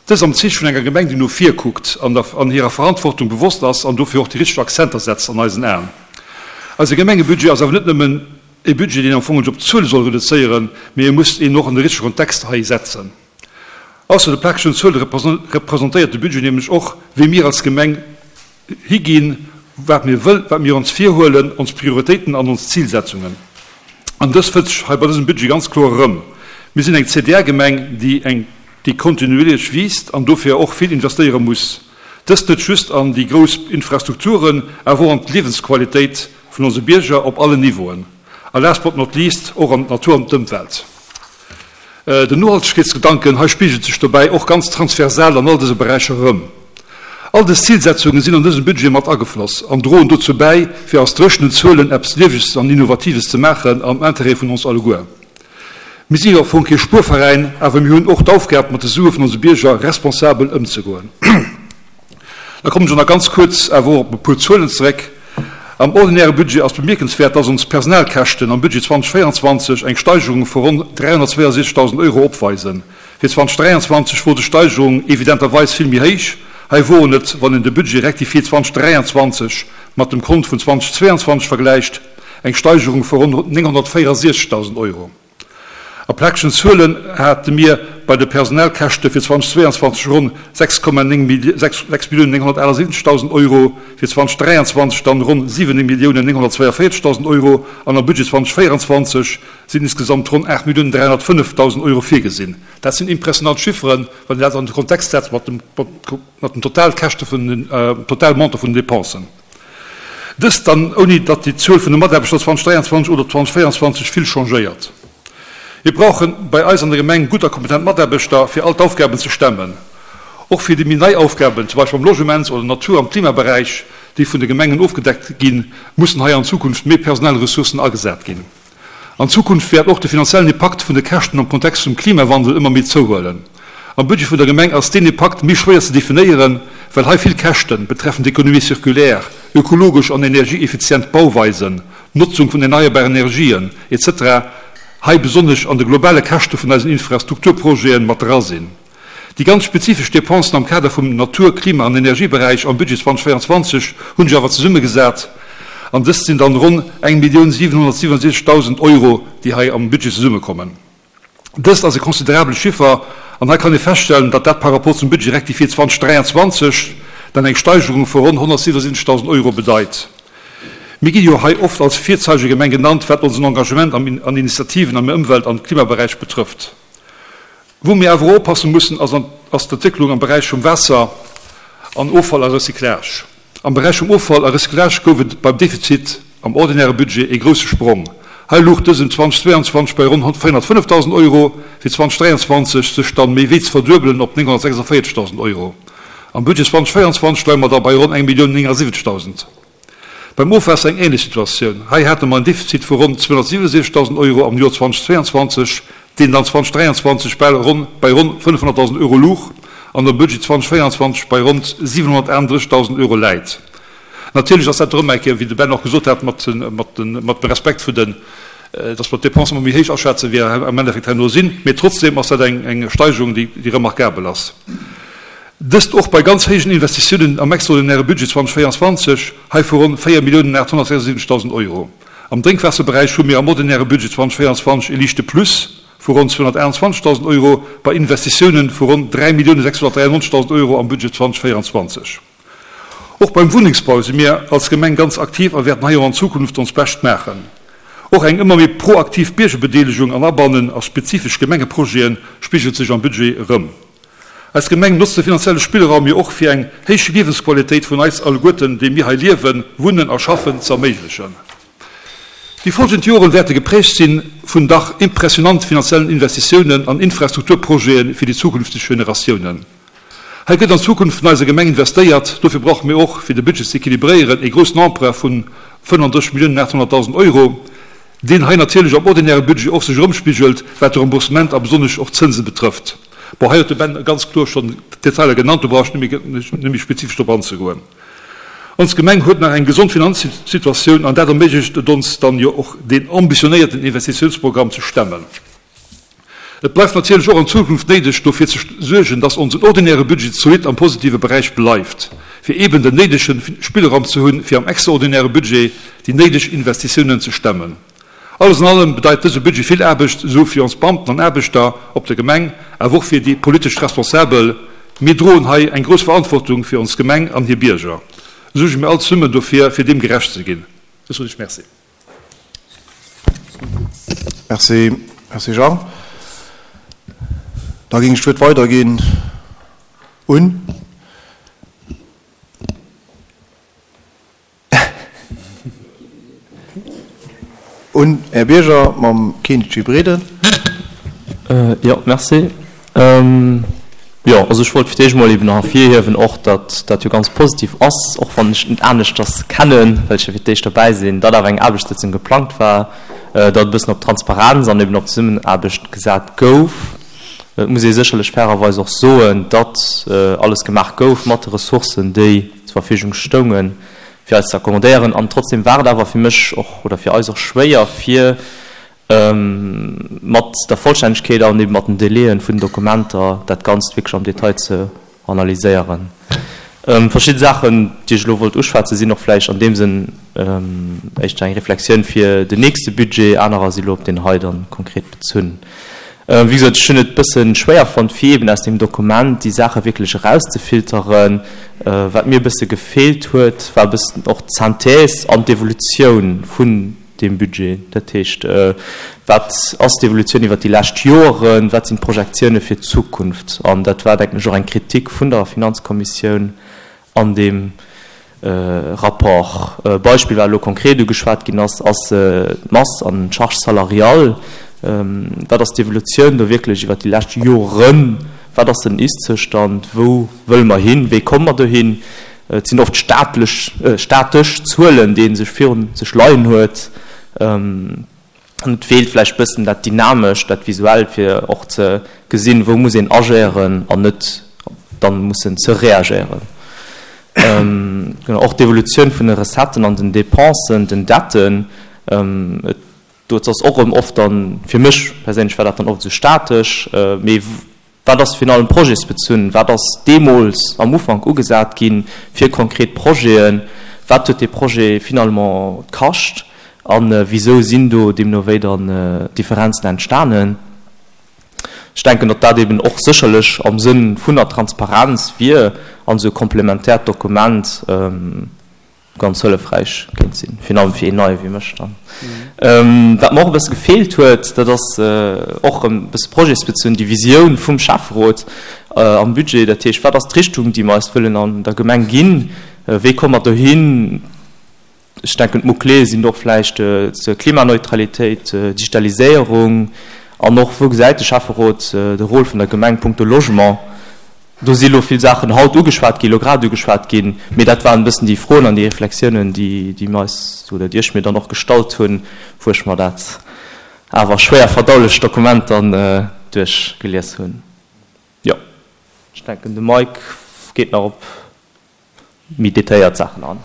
dës am Zeeche vun enger Gemeng, déi no vir kuckt an der, an hirer Verantwortung bewosst ass an dofir och déi richteg Akzenter setzt an eisen Aen. Eise Gemengebudget ass awer net nëmmen. E Budget, deen am Fong sech op d'Zuele soll reduzéieren, mee e muss een och an de richtege Kontext hei setzen. Ausser de plakegen Zuele representéiert de Budget nämlech och, wéi mir als Gemeng higinn, wat mir wëll, wat mir ons virhuelen, ons Prioritéiten an ons Zilsetzungen. An dës fënnt sech hei bei dësem Budget ganz kloer erëm. Mir sinn eng CDR-Gemeng, déi eng, déi kontinuierlech wiisst an dofir och vill investéiere muss. Dëst net just an déi grouss Infrastrukturen, awer och an d'Liewensqualitéit vun onse Bierger op allen Niveauen. A last but not least och an d'Natur an d'Ëmwelt. Den Nohaltegkeetsgedanken hei spigelt sech dobäi och ganz transversal an all dëse Beräicher erëm. All dës Zilsetzunge sinn an dësem Budget mat agefloss an droen dozou bäi, fir aus dréchenen Zuelen eppes Lieweges an Innovatives ze maachen am Interêt vun ons alleguer. Mir si jo am Fong kee Spuerveräin, awer mir hunn och d'Aufgab, mat de Sue vun onse Bierger responsabel ëmzegoen. Da kommen ech och nach ganz kuerz awer och op e puer Zuelen zeréck. Am ordinäre Budget ass bemierkenswäert, dass ons Personalkäschten am Budget 2024 eng Steigerung vu ronn 362.000 Euro opweisen. Fir 2023 wor des Steigerung evidenterweis vill méi héich. Hei woren et, wann een de Budget rectifié 2023 mat dem Kont vun 2022 vergläicht, eng Steigerung vu ronn 964.000 Euro. A plakegen Zuelen hate mir bei de Personalkäschte fir 2022 ronn 6,9 6.978.000 Euro, fir 2023 dann ronn 7.942.000 Euro an am Budget 2024 sinn insgesamt ronn 8.305.000 Euro virgesinn. Dat sinn impressionant Chifferen, wann een dat an de Kontext setzt mat dem Totalkäschte vun den, Totalmontant vun den Dépensen. Dëst dann ouni datt déi Zuel vun de Mataarbechter 2023 oder 2024 vill changéiert. Mir brauche bei eis an der Gemeng gutt a kompetent Mataarbechter fir all d'Aufgaben ze stemmen. Och fir déi méi nei Aufgaben, zum Beispill am Logements oder Natur am Klimaberäich, déi vun de Gemengen ofgedeckt ginn, mussen hei an Zukunft méi personell Ressourcen agesat ginn. An Zukunft wäert och de finanziellen Impakt vun de Käschten am Kontext vum Klimawandel ëmmer méi zouhuelen. Am Budget vun der Gemeng ass deen Impakt méi schwéier ze definéieren, well hei vill Käschten betreffend Économie circulaire, ökologesch an energieeffizient Bauweisen, Notzung vun erneierbaren Energien, etc. Hei besonnesch an de globale Käschte vun eisen Infrastrukturprojete mat dra sinn. Déi ganz spezifesch Dépensen am Kader vum Natur-, Klima an Energieberäich am Budget 2024 hunn sech awer zesummegesat an dëst sinn dann ronn 1.767.000 Euro, déi hei am Budget zesummekommen. Dëst ass e considerabele Chiffer an hei kann ee feststellen, datt dat par rapport zum Budget rectifié 2023 dann eng Steigerung vu ronn 177.000 Euro bedeit. Mir gi jo hei oft als Virzeigegemeng genannt, wat onsen Engagement an Initiativen am Ëmwelt an Klimaberäich betrëfft. Wou mir awer och oppasse mussen, ass d'Entwécklung am Beräich vum Waasser an Offall a Recyclage. Am Beräich vum Offall a Recyclage gouf et beim Defizit am ordinäre Budget ee grousse Sprong. Hei louch dësen 2022 bei ronn 405.000 Euro, fir 2023 sech dann méi wéi ze verduebelen op 946.000 Euro. Am Budget 2024 leie mer da bei ronn 1.079.000. Beim Ofwaasser eng änlech Situatioun. Hei hate mer en Defizit vu ronn 267.000 Euro am Joer 2022, deen dann 2023 bal ronn bei ronn 500.000 Euro luch an am Budget 2024 bei ronn 738.000 Euro läit. Natierlech ass dat erëm eng Kéier, wéi de Ben och gesot hat, mat dem Respekt vun den, dass mer d'Dépensen ëmmer méi héich aschätzen, wéi am Endeffekt herno sinn, mee trotzdem ass dat eng Steigerung, déi remarkabel ass. Dëst och bei ganz héijen Investitiounen am extraordinäre Budget 2024, hei vu ronn 4.876.000 Euro. Am Drénkwaasserberäich hu mir am ordinäre Budget 2024 e liichte Plus vu ronn 228.000 Euro bei Investitiounen vu ronn 3.693.000 Euro am Budget 2024. Och beim Wunnengsbau si mir als Gemeng ganz aktiv a wäerten hei och an Zukunft ons Bescht maachen. Och eng ëmmer méi proaktiv Biergerbedeelegung an Abannen a spezifesch Gemengeprojete spigelt sech am Budget erëm. Eis Gemeng notzt de finanzielle Spillraum jo och fir eng héich Liewensqualitéit vun eis alleguerten, déi mir hei liewen, wunnen a schaffen, ze erméiglechen. Déi folgend Joren wäerte geprägt sinn vun dach impressionant finanziellen Investitiounen an Infrastrukturprojete fir déi zukünfteg Generatiounen. Hei gëtt an d'Zukunft vun eiser Gemeng investéiert. Dofir brauche mir och, fir de Budget ze equilibréieren, ee groussen Emprunt vun 35 Milliounen 800.000 Euro. deen hei natierlech am ordinäre Budget och sech erëmspigelt, wat de Remboursement a besonnesch och d'Zënse betrëfft. Bon, hei huet de Ben ganz kloer schonn d'Detailer genannt, do brauch ech net méi spezifesch drop anzegoen. Ons Gemeng huet nach eng gesond Finanzsituatioun an dat erméiglecht et ons dann jo och, deen ambitionéierten Investitiounsprogramm ze stemmen. Et bleift natierlech och an Zukunft néideg, dofir ze suergen, dass onsen ordinäre Budget zolidd am positive Beräich bleift, fir eeben den néidege Spillraum ze hunn, fir am extraordinäre Budget déi néideg Investitiounen ze stemmen. Alles an allem bedeit dëse Budget vill Aarbecht, esou fir ons Beamten an Aarbechter op der Gemeng, awer och fir déi politesch Responsabel. Mir droen hei eng grouss Verantwortung fir ons Gemeng an hir Bierger. Suerge mir all zesummen dofir, fir deem gerecht ze ginn. Ech soen Iech Merci. Merci, Merci Jean. Da géing ech d'Wuert weiderginn un. Un Här Bierger mam Kenichi Breden. Jo, merci. Jo, also ech wollt fir d'éischt emol eben nach ervirhiewen och, datt dat jo ganz positiv ass, och wann ech et net aneschters kennen, well ech jo fir d'éischt derbäi sinn, datt awer eng Aarbechtssëtzung geplangt war, datt e bëssen op Transparenz an eben op Zesummenaarbecht gesat gouf. Et muss ee sécherlech fairerweis och soen, datt alles gemaach gouf mat de Ressourcen, déi zur Verfügung stoungen, fir eis ze accommodéieren. An trotzdem war et awer fir mech och oder fir eis och schwéier, fir mat der Vollstännegkeet an eben mat den Délaië vun den Dokumenter dat Ganzt wierklech am Detail ze analyséieren. Verschidde Saachen, déi ech elo wollt uschwätzen, sinn och vläicht an deem Sënn éischter eng Reflexioun fir den nächste Budget, anerer si lo op deen hei dann konkret bezunn. Wéi gesot, ech hunn et e bësse schwéier fonnt, fir eben aus deem Dokument déi Saache wierklech erauszefilteren. Wat mir e bësse gefeelt huet, war e bëssen och d'Synthèse an d'Evolutioun vun deem Budget. Dat heescht, wat ass d'Evolutioun iwwert déi lescht Joren, wat sinn d'Projektioune fir d'Zukunft? An dat war, denken ech, och eng Kritik vun der Finanzkommissioun An deem Rapport, e Beispill, wat elo konkret ugeschwat ginn ass, ass d'Mass an d'Charge salariale. Wat ass d'Evolutioun do wierklech iwwert déi lescht Joren? Wat ass den Ist-Zoustand? Wou wëlle mer hin? Wéi komme mer dohin? Et sinn oft staatlech, statesch Zuelen, déi ee sech virun sech leien huet. An et feelt vläicht bëssen dat Dynamescht, dat Visuellt, fir och ze gesinn, wou muss een agéieren an net dann mussen ze reagéieren. Genau, och d'Evolutioun vun de Recetten an den Dépensen, den Detten, et do ass och erëm oft dann, fir mech perséinlech war dat dann oft esou statesch, mee Wat ass virun allem projetsbezunn? Wat ass deemools am Ufank ugesat gi fir konkret Projeten? Wat huet dee Projet finalement kascht? A wisou sinn do deemno wéi dann Differenzen entstanen? Ech denken, datt dat eben och sécherlech am Sënn vun der Transparenz wier an esou e komplementäert Dokument, ganz hëllefräich kéint sinn, virun allem fir een Neie wéi mech dann. Wat mer och e bësse gefeelt huet, dat ass och erëm e bësse projetsbezunn, déi Visioun vum Schäfferot am Budget. Dat heescht, wat ass d'Richtung, déi mer eis wëllen an der Gemeng ginn? Wéi komme mer dohin? Ech denken, d'Mots-clés sinn do och vläicht zur Klimaneutralitéit, Digitaliséierung an och, wou gesäit de Schäfferot de Rôle vun der Gemeng punkto Logement? Do si lo vill Saachen haut ugeschwat ginn, elo grad ugeschwat ginn, mee dat waren e bëssen déi Froen an déi Reflexiounen, déi, déi mir eis oder déi ech mir dann och gestallt hunn, wou ech mer dat awer schwéier verdaulecht Dokument dann duerchgelies hunn. Jo, ech denken, de Mike geet nach op méi detailléiert Saachen an.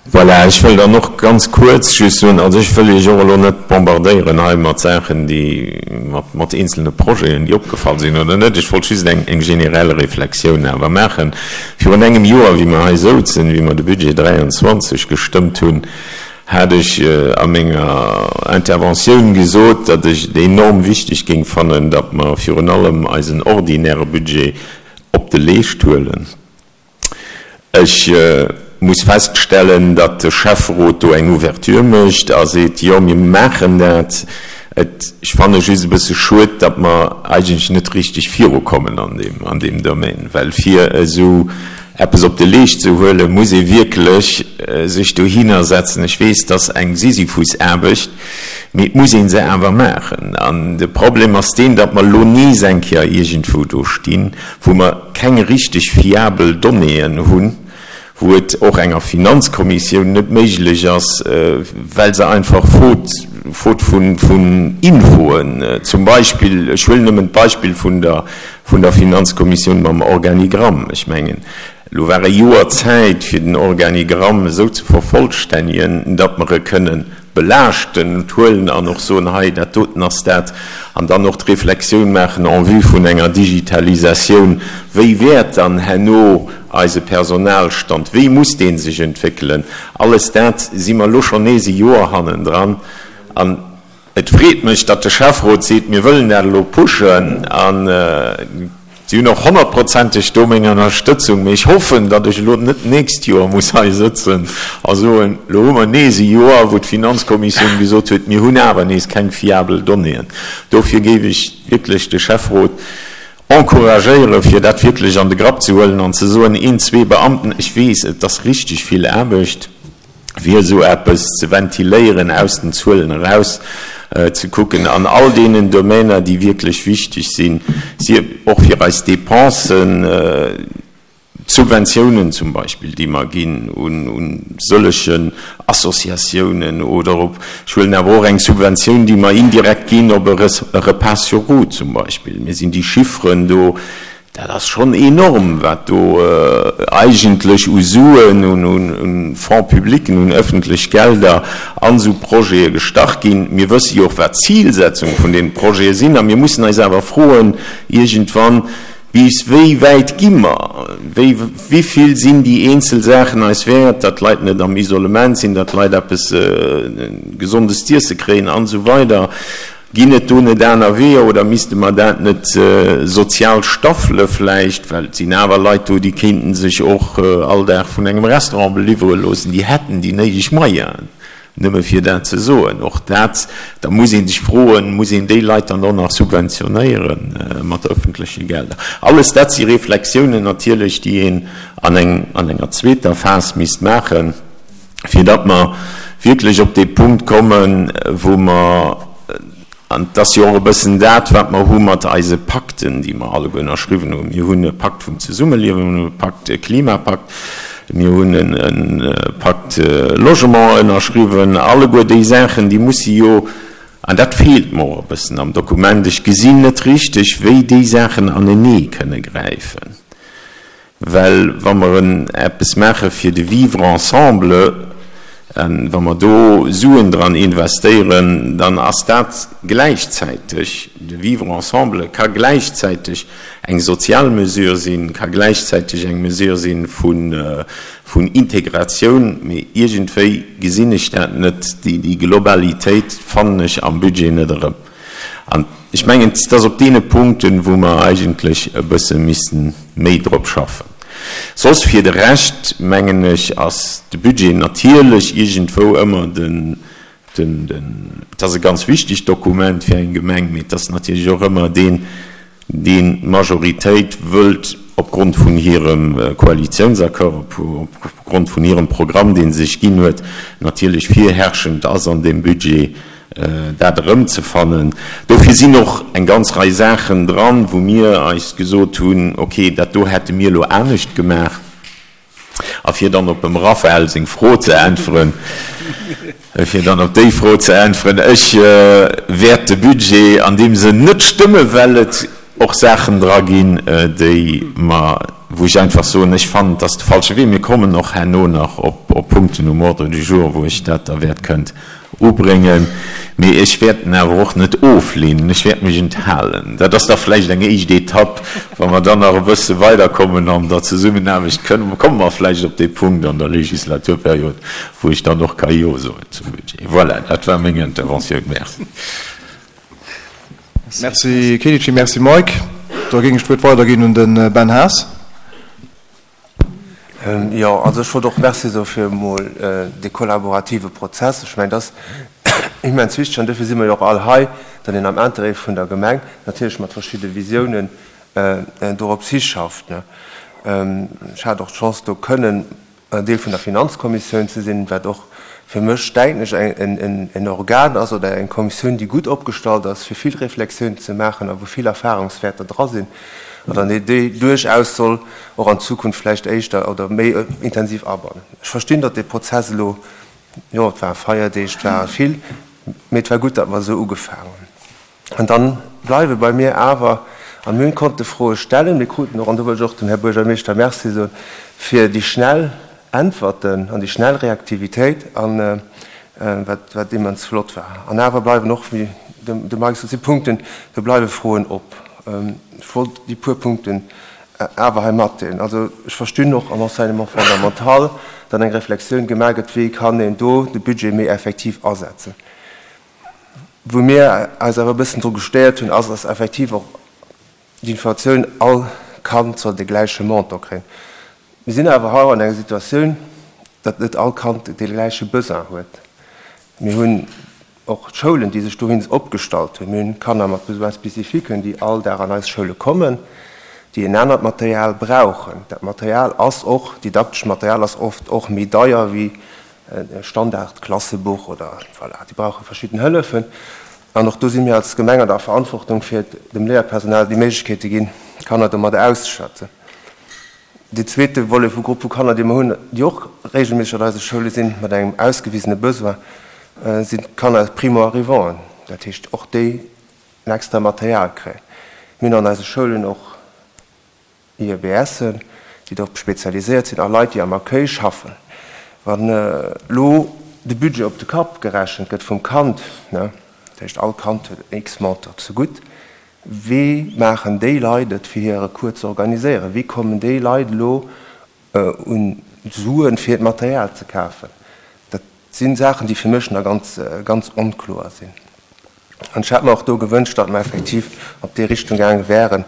Voilà, ech wëll dann och ganz kuerz just soen, also ech wëll Iech och elo net bombardéieren hei mat Saachen, déi, mat, mat eenzelne Projeten, déi opgefall sinn oder net. Ech wollt just eng, eng generell Reflexioun awer maachen. Virun engem Joer, wéi mer hei souzen, wéi mer de Budget 23 gestëmmt hunn, hat ech a menger Interventioun gesot, datt ech et enorm wichteg géing fannen, datt mer virun allem eisen ordinäre Budget op de Leescht huelen. Ech muss feststellen, datt de Schäfferot do eng Ouverture mécht a seet, jo, mir maachen dat. Et, ech fanne just e bësse schued, datt mer eigentlech net richteg virukommen an deem, an deem Domaine, well fir esou eppes op de Leescht ze huelen, muss ee wierklech sech dohinner setzen. Ech weess, et ass eng Sisyphusaarbecht, mee et muss ee se awer maachen. An de Problem ass deen, datt mer elo nees eng Kéier iergendwou do stinn, wou mer keng richteg fiabel Donnéeën hunn, wou et och enger Finanzkommissioun net méiglech ass, well se einfach faute, faute vun Infoen, zum Beispill, ech huelen nëmmen d'Beispill vun der, vun der Finanzkommissioun mam Organigramm, ech mengen, elo war e Joer Zäit, fir den Organigramm esou ze vervollstännigen, datt mer e kënnen. Belaaschten huelen an och soen, hei dat doten ass dat, an dann och d'Reflexioun maachen en vue vun enger Digitalisatioun, wéi wäert dann herno eise Personalstand, wéi muss dee sech entwéckelen. Alles dat si mer elo schonn nees e Joer hannendran. An et freet mech, datt de Schäfferot seet, mir wëllen dat elo pushen. An si hunn och honnertprozenteg do meng Ënnerstëtzung. Mee ech hoffen, datt ech elo net d'nächst Joer muss hei sëtzen a soen, elo hu mer nees e Joer, wou d'Finanzkommissioun gesot huet, mir hunn awer nees keng fiabel Donnéeën. Dofir géif ech wierklech de Schäfferot encouragéieren, fir dat wierklech an de Grapp ze huelen an ze soen, een, zwee Beamten, ech weess, et ass richteg vill Aarbecht, fir esou eppes ze ventiléieren, aus den Zuelen eraus ze kucken an all deenen Domainer, déi wierklech wichteg sinn, sief och fir eis Dépensen, d'Subventiounen zum Beispill, déi mer ginn un sëllegen Associatiounen oder op, ech huelen awer och eng Subventioun, déi mer indirekt ginn op e Repas sur roues zum Beispill. Mir sinn déi Chifferen do, Dat ass schonn enorm, wat do eigentlech u Suen, u Fonds publics, un öffentlech Gelder an esou Projete gestach ginn. Mir wësse jo och, wat d'Zilsetzung vun deene Projete sinn. A mir mussen eis awer froen iergendwann, Bis wéi wäit gi mer? Wéi, wivill sinn déi eenzel Saachen eis wäert, datt d'Leit net am Isolement sinn, datt d'Leit eppes Gesondes z'iesse kréien an esou weider? Ginn et do net aner Weeër oder misste mer dat net sozial staffele vläicht? Well et sinn awer Leit do, déi kéinten sech och all Dag vun engem Restaurant beliwwere loossen, déi hätten déi néideg Moyenen, nëmme fir dat ze soen. Och dat, da muss ee sech froen, muss een déi Leit dann och nach subventionéiere mat öffentleche Gelder? Alles dat si Reflexiounen natierlech, déi een an enger zweeter Phas misst maachen. fir datt mer wierklech op dee Punkt kommen, wou mer, an et ass jo och e bëssen dat, wat mer hu mat eise Pakten, déi mer alleguer ënnerschriwwen hunn, mir hunn e Pakt vum Zesummeliewen, mir hunn e Pakt, e Klimapakt, mir hunn e Pakt Logement ënnerschriwwen, alleguer déi Saachen, déi musse jo, an dat feelt mer och e bëssen am Dokument, ech gesinn net richteg, wéi déi Saachen anenee kënne gräifen. Well wa mer eppes maache fir de Vivre ensemble, wa mer do Suen dran investéieren, dann ass dat gläichzäiteg, de Vivre ensemble ka gläichzäiteg eng sozial Mesure sinn, ka gläichzäiteg eng Mesure si vun Integratioun. Mee iergendwéi gesinn ech dat net, déi Globalitéit fannen ech am Budget net erëm. An ech mengen, et ass op deene Punkten, wou mer eigentlech e bësse missten méi drop schaffen. Soss fir de Rescht, mengen ech, ass de Budget natierlech iergendwou ëmmer den, den, den, et ass e ganz wichtegt Dokument fir eng Gemeng, mee et ass natierlech och ëmmer deen, deen d'Majoritéit wëllt opgrond vun hirem Koalitionsaccord, opgrond vun hirem Programm, dee se sech ginn huet, natierlech virherrschend ass an deem Budget, dat erëmzefannen. Dofir sinn och eng ganz Rei Saachen dran, wou mir eis gesot hunn, okay, dat do hätte mir elo anescht gemaach. A fir dann op dem Raphael seng Fro ze äntweren, fir dann op déi Fro ze äntweren, Ech wäert de Budget an deem Sënn net stëmmen, well et och Saachen dra ginn, déi mer, wou ech einfach soen, ech fannen, et ass de falsche Wee. Mir kommen och herno nach op Punkten um Ordre du jour, wou ech dat da wäert kënnt ubréngen, mee ech wäert en awer och net oflehnen, ech wäert mech enthalen. Dat ass da vläicht eng éischt Etapp. Wa mer dann nach e bësse weiderkommen an der Zesummenaarbecht, kënne, komme mer vläicht op dee Punkt an der Legislaturperiod, wou ech dann och ka Jo soen zum Budget. Voilà, dat war meng Interventioun. Merci. Merci Kenichi, merci Mike. Da géing ech d'Wuert weiderginn un de Ben Haas. Jo, also ech wollt och Merci soe fir emol dee kollaborative Prozess. Ech mengen, dat ass immens wichteg an duerfir si mer jo och all hei, datt een am Interêt vun der Gemeng natierlech mat verschidde Visiounen dorops hischafft. Ech hat och d'Chance, do kënnen Deel vun der Finanzkommissioun ze sinn, wat och fir mech, denken ech, en Organ ass oder eng Kommissioun, déi gutt opgestallt ass, fir vill Reflexiounen ze maachen a wou vill Erfahrungswäerter dra sinn an dann déi duerchaus soll och an Zukunft vläicht éischter oder méi intensiv abannen. Ech verstinn, datt dee Prozess elo, jo, et ware Feierdeeg, et ware vill, mee et war gutt, datt mer esou ugefaangen hunn. An dann bleiwe bei mir awer, an mir konnte Froe stellen, mir kruten och, an do wëll ech och dem Här Buergermeeschter Merci soen, fir déi schnell Äntwerten an déi schnell Reaktivitéit. An. wat, wat immens flott war. An awer bleiwen och, wéi de Mike sot, si Punkten, do bleiwe Froen op. Ech wollt déi puer Punkten awer hei matdeelen. Also ech verstinn och am Enseignement fondamental, datt eng Reflexioun gemaach gëtt, wéi kann een do de Budget méi effektiv asetzen. Wou mir eis awer e bëssen dru gestéiert hunn, ass, datt effektiv och d'Informatioun, all Kand soll de gläiche Montant kréien. Mir sinn awer hei an enger Situatioun, datt net all Kand dee gläiche Besoin huet. Mir hunn och d'Schoulen, déi sech dohin opgestallt hunn. Mir hunn Kanner mat Besoins spécifiques, déi all Dag an eis Schoule kommen, déi en anert Material brauchen. Dat Material ass och, didaktescht Material ass oft och méi deier wéi e Standardklassebuch oder voilà, déi brauche verschidden Hëllefen. An och do si mir als Gemeng an der Verantwortung, fir dem Léierpersonal déi Méiglechkeet ze ginn, d'Kanner domadder auszeschätzen. Deen zweete Volet vu Grupp vu Kanner, dee mer hunn, déi och regelméisseg an eise Schoule sinn, mat engem ausgewisene Besoin, sinn d'Kanner Primo-arrivanten, dat heescht och déi en extra Material kréien. Mir hunn an eise Schoulen och IEBSen, déi drop spezialiséiert sinn, a Leit, déi am Accueil schaffen. Wann elo de Budget op de Kapp gerechent gëtt vum Kand, dat heescht all Kand huet x Montant zegutt, Wéi maachen déi Leit et, fir hire Cours ze organiséieren? Wéi kommen déi Leit elo un d'Suen, fir d'Material ze kafen? Dat si Saachen, déi fir mech nach ganz, ganz onkloer sinn. An ech hätt mer och do gewënscht, datt mer effektiv op déi Richtung gaange wären,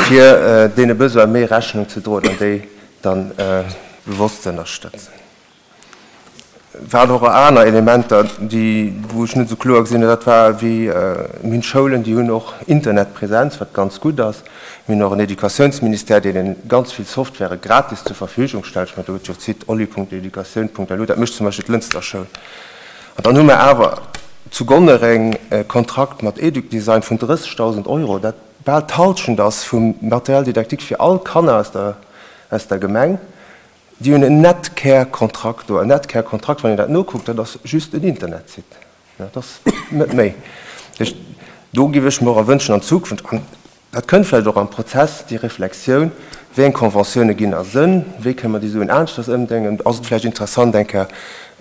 fir deene Besoine méi Rechnung ze droen an déi dann bewosst ze ënnerstëtzen. Waren och aner Elementer, déi, wou ech net esou kloer gesinn hunn, dat war wéi, mir hunn Schoulen, déi hunn och Internetpräsenz, wat ganz gutt ass. Mir hunn och en Educatiounsministère, deen een ganz vill Software gratis zur Verfügung stellt. Ech mengen, do gëtt jo d'Site oli.educatioun.lu, dat mécht zum Beispill d'Lënster Schoul. An dann hu mer awer zu Gonnereng e Kontrakt mat Educdesign vun 30.000 Euro, dat bal d'Halschent ass vum Matériel didactique fir all Kanner aus der, aus der Gemeng. Déi hunn en Netcare-Kontrakt do. En Netcare-Kontrakt, wann een dat nokuckt, dat ass just en Internetsite. Dat ass net méi. Dat heescht, do géif ech mer och wënschen an Zukunft, an dat kënnt vläicht och am Prozess, déi Reflexioun, wéi eng Conventioune ginn a Sënn, wéi kënne mer déi Suen aneschters ëmdenken. Ass et vläicht interessant, eng Kéier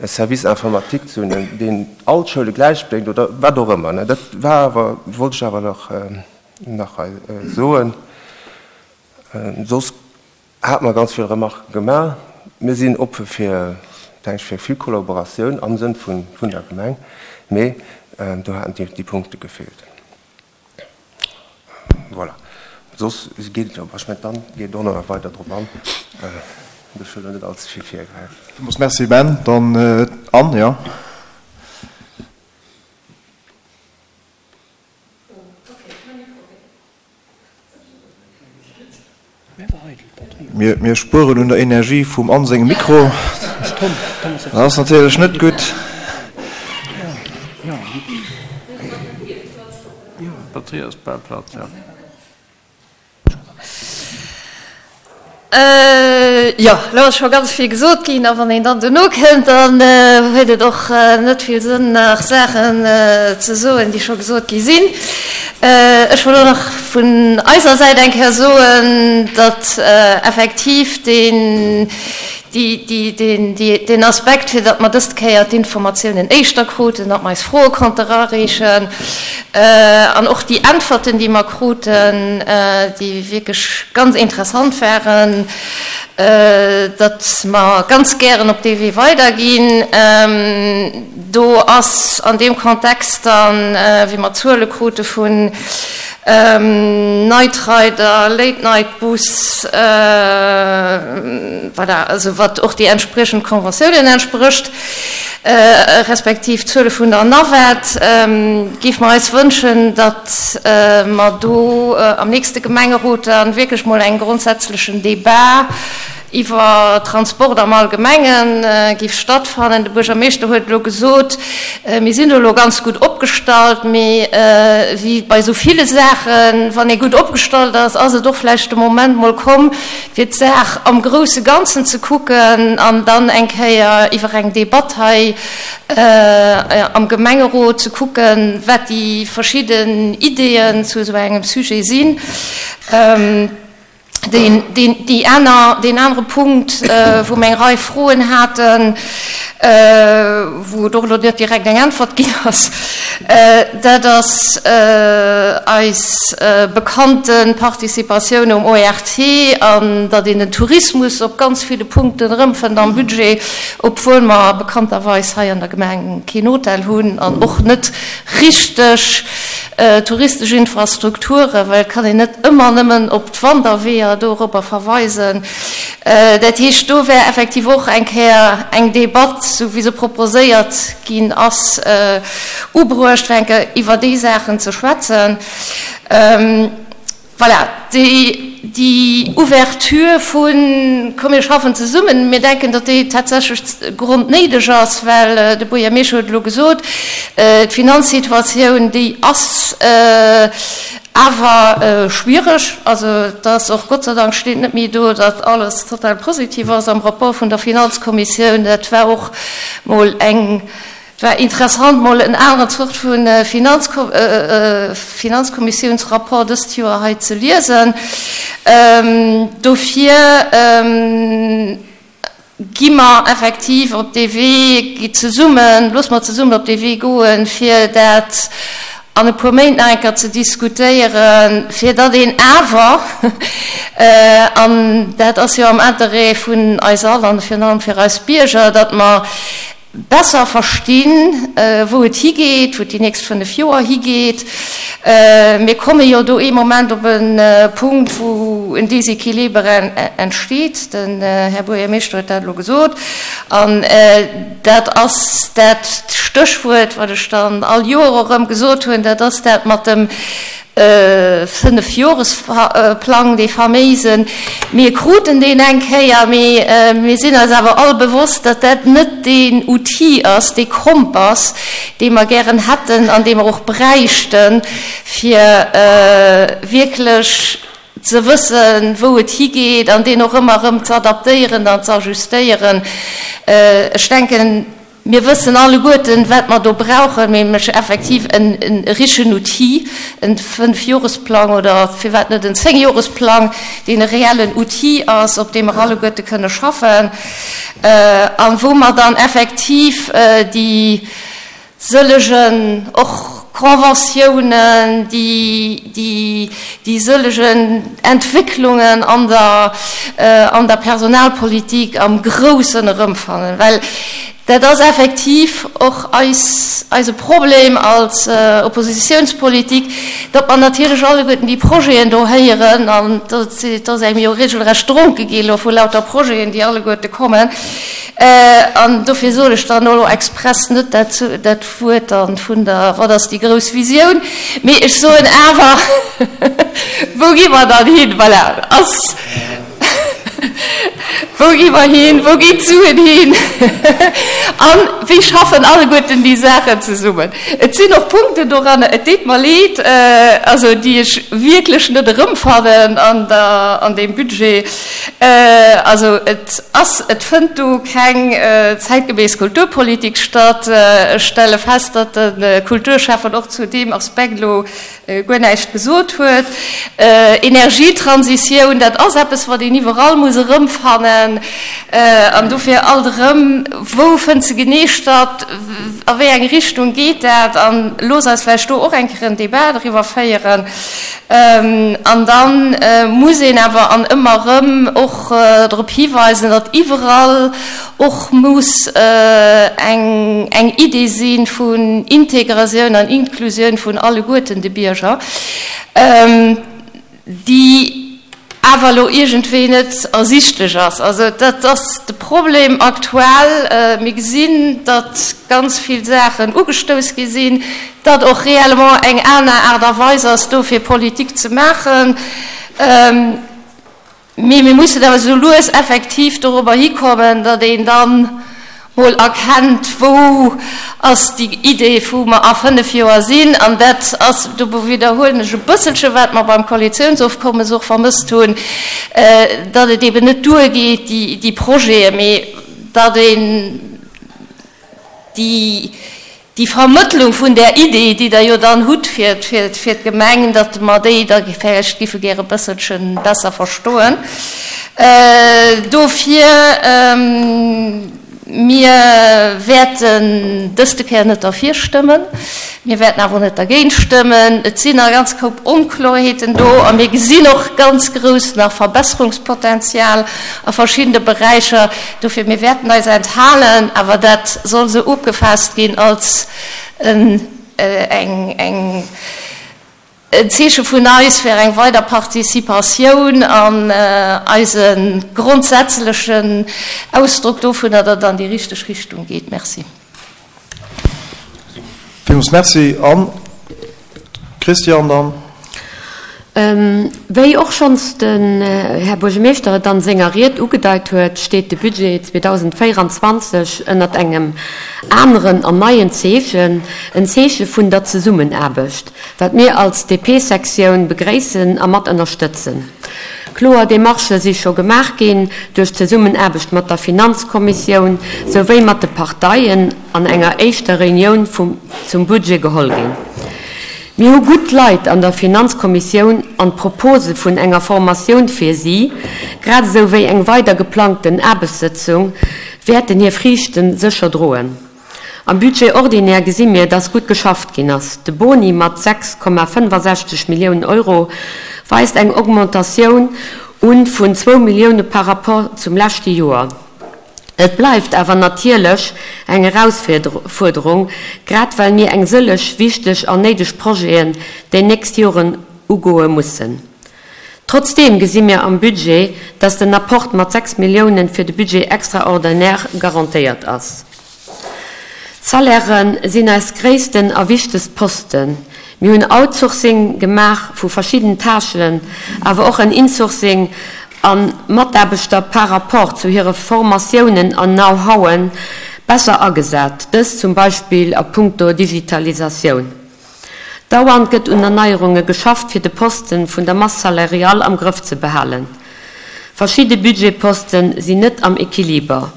e Service informatique ze hunn, deen all d'Schoule gläichbréngt oder wat och ëmmer. Dat war awer, wollt ech awer nach hei soen. Soss Hat mer ganz vill Remarquen gemaach. Mir sinn oppe fir, denke ech, fir vill Kollaboratioun am Sënn vun der Gemeng, mee do haten déi Punkte gefeelt. Voilà. Soss geet et jo, ech mengen, d'Anne geet och nach weider drop an. Ech wëll elo net allze vill virgräifen. Villmools Merci, Ben. Dann d'Anne, jo. Mir spueren un der Energie vum Anne sengem Mikro. Dat ass natierlech net gutt. Jo, elo ass scho ganz vill gesot ginn, a wann een dann dono kënnt, dann huet et och net vill Sënn nach Saachen ze soen, déi scho gesot gi sinn. Ech wollt och nach vun eiser Säit eng Kéier soen, datt effektiv deen, deen Aspekt, fir datt mer dëst Kéier d'Informatiounen éischter kruten, datt mer eis Froe konnte erareechen an och déi Äntwerten, déi mer kruten, déi wierklech ganz interessant waren, datt mer ganz gären op dee Wee weiderginn. Do ass an deem Kontext dann, wéi mer Zuele krute vun Night Rider, Late Night Bus, voilà, also wat och déi entspriechend Conventiounen entsprécht, respektiv d'Zuele vun der Navette, géife mer eis wënschen, datt mer do am nächste Gemengerot dann wierklech mol eng grondsätzlechen Debat iwwer Transport am Allgemenge géif stattfannen. De Buergermeeschter huet elo gesot, mir sinn do elo ganz gutt opgestallt, mee wéi bei esou ville Saachen, wann ee gutt opgestallt ass, ass et och vläicht de Moment mol komm, fir d'Saach am grousse Ganzen ze kucken an dann eng Kéier iwwer eng Debatt hei am Gemengerot ze kucken, wat déi verschidden Ideeën zu esou engem Sujet sinn. Deen, deen, déi aner, deen anere Punkt, wou mer eng Rei Froen haten, wou et och elo net direkt eng Äntwert ginn ass, dat ass eis bekannte Participatioun um ORT an datt een den Tourismus op ganz ville Punkten erëmfënnt am Budget, obwuel mer bekannterweis hei an der Gemeng keen Hotel hunn an och net richteg touristesch Infrastrukturen, well et kann een net ëmmer nëmmen op d'Wanderweeër doropper verweisen. Dat heescht, do wär effektiv och eng Kéier eng Debatt, sou wéi se proposéiert ginn ass, ubruecht, fir eng Kéier iwwer déi Saachen ze schwätzen. Voilà, déi Ouverture vun, komm mir schaffen zesummen, mir denken, datt déi tatsächlech grondnéideg ass, well de Buergermeeschter huet elo gesot, d'Finanzsituatioun, déi ass awer schwiereg. Also et ass och, Gott sei Dank steet net méi do, datt alles total positiv ass am Rapport vun der Finanzkommissioun. Dat war och mol eng Et war interessant mol en aneren Zort vu Finanzkommissiounsrapport dëst Joer hei ze liesen. Dofir gi mer effektiv op dee Wee, gi zesummen, loosse mer zesummen op dee Wee goen, fir dat an e puer Méint nach eng Kéier ze diskutéieren, fir datt een awer, an dat ass jo am Interêt vun eis all an virun allem fir eis Bierger, datt mer besser verstinn, wou et higeet, wou et déi nächst 5 Joer higeet. Mir komme jo do ee Moment op e Punkt, wou en Déséquilibre entsteet. Den Här Buergermeeschter huet dat elo gesot. An dat ass dat Stéchwuert, wat ech dann all Joer erëm gesot hunn, dat ass dat mat dem Fënnefjoresplang, dee faméisen. Mir kruten deen eng Kéier, mee mir sinn eis awer all bewosst, datt dat net deen Outil ass, dee Kompass, dee mer gären hätten an dee mer och bräichten, fir wierklech ze wëssen, wou et higeet an deen och ëmmer erëm ze adaptéieren an ze ajustéieren. Ech denken, Mir wëssen alleguerten, wat mer do brauchen, nämlech effektiv e richen Outil, e Fënnfjoresplang oder firwat net en Zéngjoresplang, deen e reellen Outil ass, op deem mer alleguerte kënne schaffen a wou mer dann effektiv déi sëllegen och Conventiounen, déi sëllegen Entwécklungen an der an der Personalpolitik am Groussen erëmfannen, well dat ass effektiv och eis eise Problem als Oppositionspolitik, datt mer natierlech alleguerten déi Projeten do héieren, an et ass engem jo regelrecht dronke gi elo vu lauter Projeten, déi alleguerte kommen. An dofir soen ech dann elo express net dat dat Wuert dann vun der, wat ass déi grouss Visioun, mee ech soen awer, wou gi mer dann hin? Voilà, ass, wou gi mer hin, wou ginn d'Suen hin a wéi schaffen alleguerten déi Saachen zesummen? Et sinn och Punkten doranner, et deet mer leed, also déi ech wierklech net erëmfannen an der, an deem Budget. Also et ass, et fënnt do keng zäitgeméiss Kulturpolitik statt. Ech stelle fest, datt de Kulturschäffen och zu deem Aspekt elo guer näischt gesot huet. Energietransitioun, dat ass eppes, wat een iwwerall muss erëmfannen. An dofir alt erëm, Wou fënnt se genee statt? A wéi eng Richtung geet dat? A looss eis vläicht do och eng Kéier en Débat driwwer féieren. An da muss een awer an ëmmer erëm och drop hiweisen, datt iwwerall och muss eng eng Idee si vun Integratioun an Inklusioun vun alleguerten de Bierger, déi awer elo iergendwéi net ersichtlech ass. Also dat ass de Problem aktuell. Mir gesinn, datt ganz vill Saachen ugestouss gi sinn, datt och réellement eng aner Aart a Weis ass do fir Politik ze maachen. Mee mir mussen awer esou lues effektiv dorobber hikommen, datt een dann mol erkennt, wou ass déi Idee, wou mer a fënnf Joer sinn. An dat ass, do widderhuelen ech e bësselche wat mer beim Koalitionsofkommes och vermësst hunn, datt et eben net duergeet, déi Projeten, mee datt een déi. déi Vermëttlung vun där Idee, déi Der jo dann hutt fir d'Gemeng, datt mer déi da vläicht giffe gäre e bësselche besser verstoen. Dofir, mir wäerten dëste Kéier net derfir stëmmen. Mir wäerten awer och net dergéint stëmmen. Et sinn nach e ganz Koup Onkloerheeten do a mir gesinn och ganz grouss nach Verbesserungspotenzial a verschiddene Beräicher. Dofir, mir wäerten eis enthalen, awer dat soll esou opgefaasst ginn als en Zeeche vun eis fir eng weider Participatioun an eise grondsätzlechen Ausdrock dovunner, datt et an déi richteg Richtung geet. Merci. Villmools Merci. An d'Christiane dann. Wéi och schonns den Här Buergermeeschter et an senger Ried ugedeit huet, steet de Budget 2024 ënnert engem aneren an neien Zeechen, en Zeeche vun der Zesummenaarbecht, wat mir als DP-Sektioun begréissen a mat ënnerstëtzen. Kloer Demarchë si scho gemaach ginn duerch d'Zesummenaarbecht mat der Finanzkommissioun souwéi mat de Parteien an enger éischter Reunioun vum zum Budget geholl ginn. Mir hu gutt Leit an der Finanzkommissioun an d'Propose vun enger Formatioun fir si, grad esou wéi eng weider geplangten Aarbechtssëtzung, wäerten hir Friichte sécher droen. Am Budget ordinaire gesi mir, dass gutt geschafft ginn ass. De Boni mat 6,65 Milliounen Euro weist eng Augmentatioun un vun zwou Millioune par rapport zum leschte Joer. Et bleift awer natierlech eng Erausfuerderung, grad well mir eng sëlleg wichteg an néideg Projeten déi nächst Joren ugoe mussen. Trotzdeem gesi mir am Budget, dass den Apport mat 6 Milliounen fir de Budget extraordinaire garantéiert ass. D'Salairë sinn eis gréissten a wichtegst Posten. Mir hunn Outsourcing gemaach vu verschidden Tâchen, awer och en Insourcing a Mataarbechter par rapport zu hire Formatiounen an Know-howen besser agesat, dëst zum Beispill a puncto Digitalisatioun. Dauernd gëtt un Erneierunge geschafft, fir de Posten vun der Masse salariale am Grëff ze behalen. Verschidde Budgetposten sinn net am Equiliber,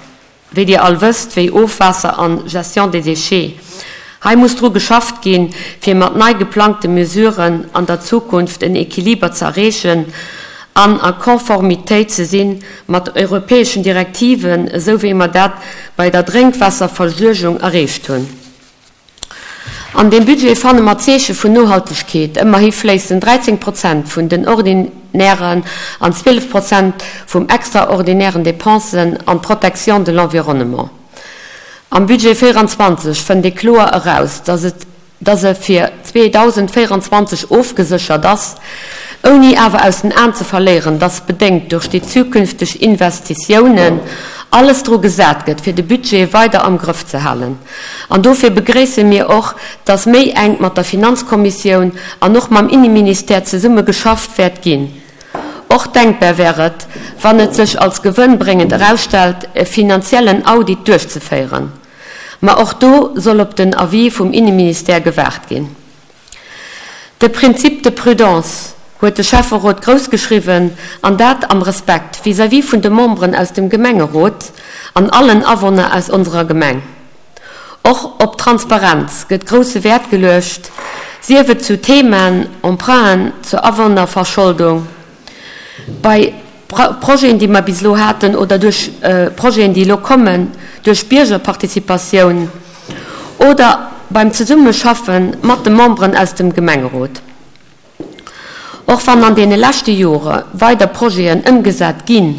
wéi Dir all wësst, wéi Ofwaasser an Gestion des déchets. Hei muss dru geschafft ginn, fir mat nei geplangte Mesuren an der Zukunft en Equiliber ze erreechen an a Konformitéit ze si mat europäeschen Direktiven, esou wéi mer dat bei der Drénkwaasserversuergung erreecht hunn. An deem Budget fanne mer Zeeche vun Nohaltegkeet. Ëmmerhi fléissen 13 Prozent vun den ordinären an 12 Prozent vum extraordinären Dépensen an d'Protection de l'environnement. Am Budget 24 fënnt ee kloer eraus, dass et dass e fir 2024 ofgeséchert ass, ouni awer aus den Aen ze verléieren, dass bedéngt duerch déi zukünfteg Investitiounen alles dru gesat gëtt, fir de Budget weider am Grëff ze halen. An dofir begréisse mir och, dass méi enk mat der Finanzkommissioun an och mam Inneministère zesumme geschafft wäert ginn. Och denkbar wär et, wann et sech als gewënnbréngend erausstellt, e finanziellen Audit duerchzeféieren. Ma och do soll op den Avis vum Inneministère gewaart ginn. De Principe de prudence huet de Schäfferot grouss geschriwwen, an dat am Respekt vis-à-vis vun de Memberen aus dem Gemengerot an allen Awunner aus onserer Gemeng. Och op Transparenz gëtt grousse Wäert geluecht, sief et zu Themaen, Emprunten, zur Awunnerverscholdung, bei Projeten, déi mer bis elo haten, oder duerch Projeten, déi elo kommen, duerch Biergerparticipatioun oder beim Zesummeschaffe mat de Memberen aus dem Gemengerot. Och wann an deene leschte Jore weider Projeten ëmgesat ginn,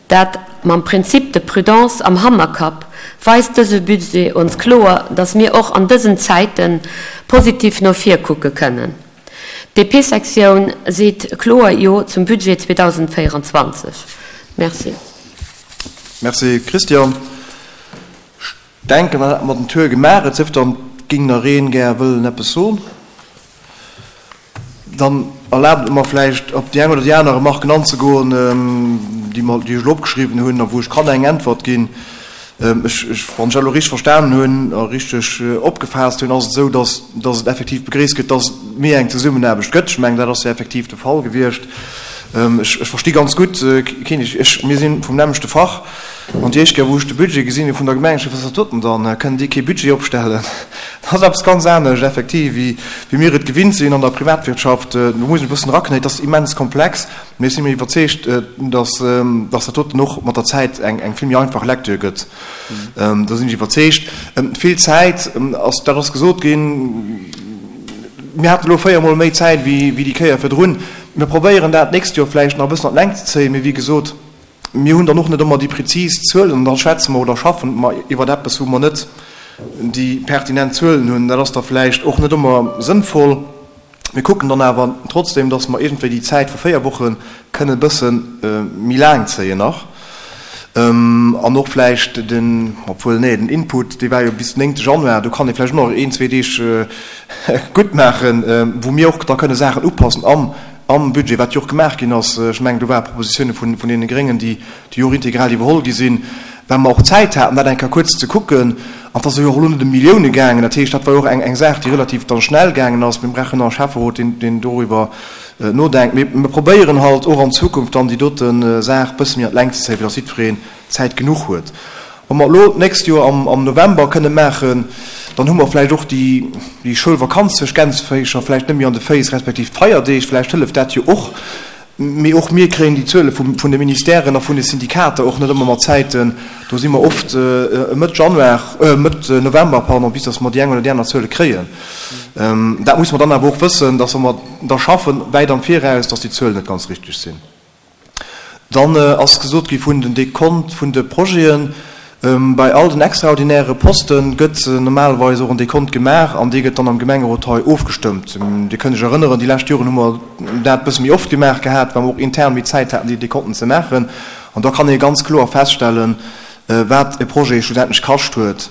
dat mam Principe de prudence am Hannerkapp, weist dëse Budget ons kloer, dass mir och an dësen Zäite positiv no vir kucke kënnen. D'DP-Sektioun seet kloer Jo zum Budget 2024. Merci. Merci Christian. Ech denken, dann hätte mer den Tour gemaach. Et sief dann, et géing nach een gär wëllen eppes soen. Dann erlaabt et mer vläicht, op déi eng oder déi aner Remarken anzegoen, déi mer, déi ech elo opgeschriwwen hunn a wou ech kann eng Äntwert ginn. Ech, ech, wann ech dat elo richteg verstanen hunn a richteg opgefaasst hunn, ass et esou, dass, dass et effektiv begréisst gëtt, dass et méi eng Zesummenaarbecht gëtt. Ech mengen, dat ass jo effektiv de Fall gewiescht. Ech, ech versti ganz gutt, keen, ech, ech, mir si vum nämmlechte Fach. An déi éischt Kéier, wou ech de Budget gesinn hu vun der Gemeng, ech gesot, wat ass dat doten dann? Kënnen déi kee Budget opstellen? Dat ass eppes ganz anescht effektiv, wéi wéi mir et gewinnt sinn an der Privatwirtschaft. Do muss een e bëssen eraknéien. Et ass immens komplex, mee ech si mir iwwerzeegt, dass dass dat doten och mat der Zäit eng eng vill méi einfach Lecture gëtt. Do sinn ech iwwerzeegt. Vill Zäit ass, dat ass gesot ginn, mir haten elo véiermol méi Zäit wéi wéi déi Kéier virdrun. Mir probéieren dat d'nächst Joer vläicht nach e bëssen an d'Längt ze zéien, mee wéi gesot, Mir hunn dann och net ëmmer déi prezis Zuelen an da schwätze mer oder schaffen mer iwwer eppes, wou mer net déi pertinent Zuelen hunn. Dat ass da vläicht och net ëmmer sënnvoll. Mir kucken dann awer trotzdem, dass mer iergendwéi déi Zäit vu 4 Woche kënnen e bësse méi laang zéien nach an och vläicht den, obwuel, nee, den Input, dee war jo bis den 9 Januar, do kann ee vläicht och nach een, zwee Deeg guttmaachen, wou mir och da kënne Saachen upassen am Am Budget, wat jo och gemaach ginn ass, ech mengen, do ware Propositioune vun deene Gréngen, déi jo och integral iwwerholl gi sinn, well mer och Zäit haten, dat eng Kéier kuerz ze kucken. An et ass jo och elo net ëm Millioune gaangen. Dat heescht, dat war jo och eng Saach, déi relativ dann schnell gaangen ass. Mir brauchen nach e Schäfferot, deen doriwwer nodenkt. Mee mir probéieren halt och an Zukunft dann déi dote Saach e bësse méi an d'Längt ze zéien, fir datt jiddwereen Zäit genuch huet. Wa mer elo d'nächst Joer am November kënne maachen, dann hu mer vläicht och déi Schoulvakanz zwëscht Gänseféischer vläicht net méi an de Féiss, respektiv d'Feierdeeg, vläicht hëlleft dat jo och. Mee och mir kréien déi Zuele vun de Ministèren a vun de Syndikater och net ëmmer mat Zäiten. Do si mer oft Mëtt Januar, Mëtt November, pardon, bis datt mer déi eng oder déi aner Zuele kréien. Dat musse mer dann awer och wëssen, datt wa mer da schaffen, wäit am Viraus, datt déi Zuelen net ganz richteg sinn. Dann ass gesot gi vun den Dekont vun de Projeten. Bei all den extraordinäre Poste gëtt normalerweis och en Dekont gemaach an dee gëtt dann am Gemengerot hei ofgestëmmt. Dir kënnt Iech erënneren, déi lescht Joren hu mer dat e bësse méi oft gemaach gehat, well mer och intern méi Zäit haten, déi Dekonten ze maachen. An da kann ee ganz kloer feststellen, wat e Projet schlussendlech kascht huet.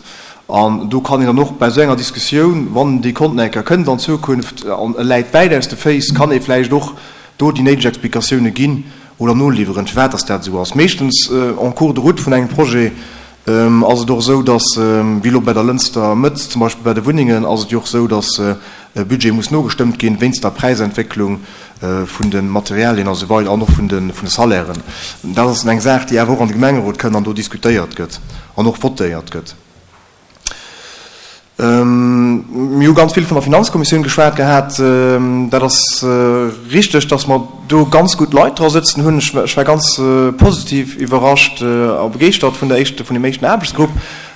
An do kann een dann och bei esou enger Diskussioun, wann den Dekont nach eng Kéier kënnt an Zukunft an e läit wäit aus de Féiss, kann ee vläicht och do déi néideg Explikatioune ginn oder noliwweren, firwat dass dat esou ass. Meeschtens en cours de route vun engem Projet ass et och esou, dass, wéi elo bei der Lënster Mëtt zum Beispill bei de Wunnengen, ass et jo och esou, dass e Budget muss nogestëmmt ginn wéinst der Präisentwécklung vun de Materialien a sou weider an och vun de Salairen. Dat ass eng Saach, déi awer och an de Gemengerot kënn an do diskutéiert gëtt an och votéiert gëtt. Mir hu ganz vill vun der Finanzkommissioun geschwat gehat. Dat ass richteg, datt mer do ganz gutt Leit dra sëtzen hunn. Ech war ganz positiv iwwerrascht a begeeschtert vun der éischten, vun deem éischten Aarbechtsgrupp.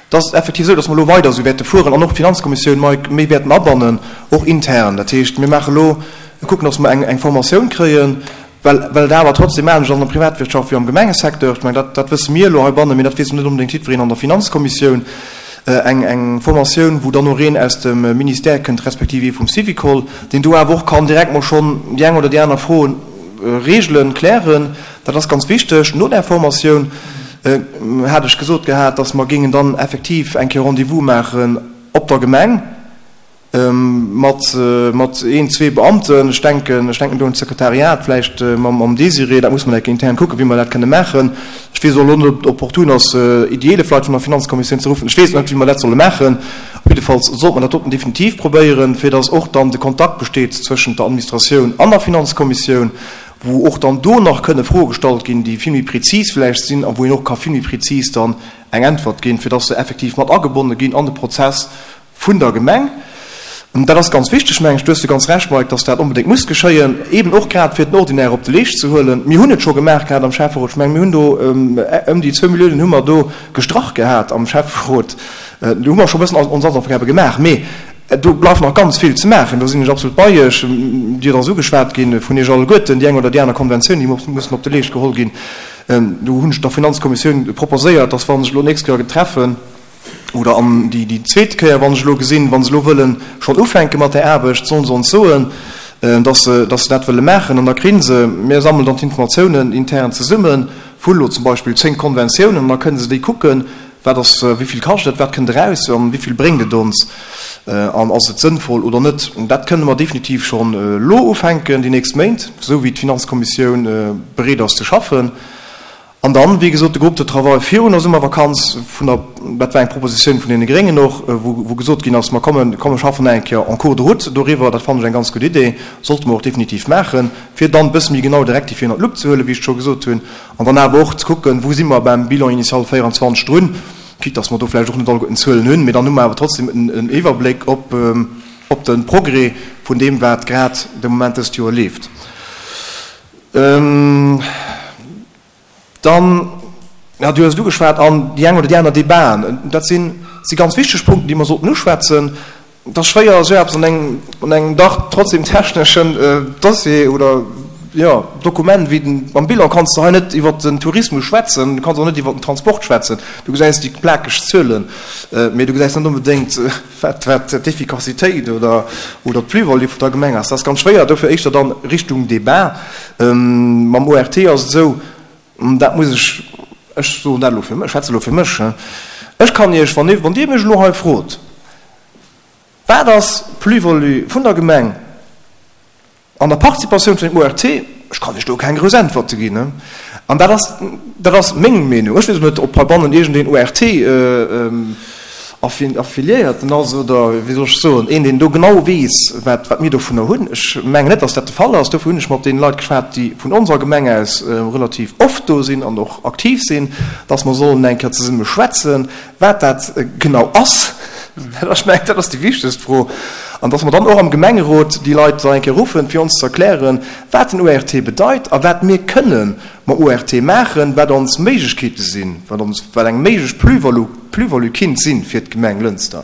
Et ass effektiv esou, datt mer elo weider esou wäerte fueren an och d'Finanzkommissioun méi wäerten abannen, och intern. Dat heescht, mir maache elo, mir kucken, datt mer eng Formatioun kréien, Well, well et awer trotzdem anescht ass an der Privatwirtschaft wéi am Gemengesecteur, ech mengen, dat, dat wësse mir elo heibannen, mee dat weess net onbedéngt jiddwereen an der Finanzkommissioun, eng, eng Formatioun, wou dann och een aus dem Ministère kënnt, respektiv ee vum Syvicol, deen do awer och kann direkt mol schonn déi eng oder déi aner Fro regelen, klären. Dat ass ganz wichteg. No där Formatioun hat ech gesot gehat, dass mer géingen dann effektiv eng Kéier Rendez-vous maachen op der Gemeng, Mat, mat een, zwee Beamten, ech denken, ech denken do un d'Sekretariat, vläicht mam, mam Désiré, dat muss mer enke intern kucken, wéi mer dat kënne maachen. Ech weess och elo net, ob et opportun ass, déi 11 Leit vun der Finanzkommissioun ze ruffen. Ech weess net, wéi mer dat solle maachen. Op jiddefalls sollte mer dat doten definitiv probéieren, fir datt och dann de Kontakt besteet zwëschent der Administratioun an der Finanzkommissioun, wou och dann do nach kënne Froe gestallt ginn, déi vill méi prezis vläicht sinn a wou een och ka vill méi prezis dann eng Äntwert ginn, fir datt se effektiv mat agebonne ginn an de Prozess vun der Gemeng. An dat ass ganz wichteg, mengen ech, du hues jo ganz Recht, Mike, dass dat onbedéngt muss geschéien, eeben och grad fir den Ordinaire op de Leescht ze huelen. Mir hunn et scho gemaach gehat am Schäfferot, ech mengen, mir hunn do ëm déi zwou Milliounen hu mer do gestrach gehat am Schäfferot. Do hu mer scho e bëssen ons Hausaufgabe gemaach, mee do bleift nach ganz vill ze maachen, do sinn ech absolut bei Iech. Dir ass ugeschwat gi vun Iech alleguerten, déi eng oder déi aner Konventioun, déi mussen op de Leescht geholl ginn. Do hunn ech der Finanzkommissioun proposéiert, dass wa sech elo d'nächst Kéier treffen, Oder an déi déi zweet Kéier, wann ech elo gesinn, wa se elo wëlle schonn ufänke mat där Aarbecht, sollen se ons soen, dass se, dass se dat wëlle maachen. An da kréie se, mir sammelen dann d'Informatiounen intern zesumme vu lo zum Beispill 10 Konventiounen, an da kënne se déi kucken, wat ass, wéi vill kascht et, wat kënnt eraus an wéi vill bréngt et ons an ass et sënnvoll oder net. Dat kënne mer definitiv schonn elo ufänken, déi nächst Méint, esou wéi d'Finanzkommissioun bereet ass ze schaffen. An dann, wéi gesot, de Groupe de travail virun der Summervakanz vun der, dat war eng Propositioun vun deene Gréngen och, wou, wou gesot ginn ass, mer kommen, komm mer schaffen eng Kéier en cours de route doriwwer, dat fannen ech eng ganz gutt Idee, sollte mer och definitiv maachen, fir dann e bësse méi genau de Rectifié ënner d'Lupp ze huelen, wéi ech et scho gesot hunn, an dann awer och ze kucken, wou si mer beim Bilan initial 24 drun, quitte dass mer do vläicht och net alleguerten d'Zuelen hunn, mee dann hu mer awer trotzdem en Iwwerbléck op, op de Progrès vun deem, wat grad de Moment dëst Joer leeft. Dann, ja, du hues et ugeschwat, an déi eng oder déi aner Debaten, dat sinn, si ganz wichteg Punkten, déi mer sollten uschwätzen. Et ass schwéier, esou eppes an engem, an engem dach trotzdem techneschen Dossier oder, jo, Dokument wéi den, mam Bilan kanns de hei net iwwert den Tourismus schwätzen, du kanns och net iwwert den Transport schwätzen. Du gesäis déi plakeg Zuelen, mee du gesäis net onbedéngt, wat wat d'Efficacitéit oder oder d'Plus-value vun der Gemeng ass. Dat ass ganz schwéier, dofir éischter dann Richtung Débat. Mam ORT ass et esou, dat muss ech, ech soen dat elo fir mech, ech schwätze elo fir mech, ech kann Iech, wann wann Dir mech elo hei frot, wat ass d'Plus-value vun der Gemeng, An der Participatioun vun dem ORT, ech kann Iech do keng grouss Äntwerte ginn, an dat ass, dat ass meng Meenung, ech weess och net, ob heibannen iergendeen ORT-Affiliéierten ass oder, wéi soll ech soen, een, deen do genau weess, wat, wat mir dovunner hunn. Ech mengen net, datt dat de Fall ass. Dofir hunn ech mat deene Leit geschwat, déi vun onser Gemeng aus relativ oft do sinn an och aktiv sinn, datt mer sollen eng Kéier zesumme schwätzen, Wat dat genau ass, ech mengen, dat ass déi wichtegst Fro. An dass mer dann och am Gemengerot déi Leit da eng Kéier ruffen, fir ons ze erklären, wat den ORT bedeit a wat mir kënne mam ORT maachen, wat ons Méiglechkeete sinn, wat ons, wat eng méiglech Plus-value, Plus-value kinnt sinn fir d'Gemeng Lënster.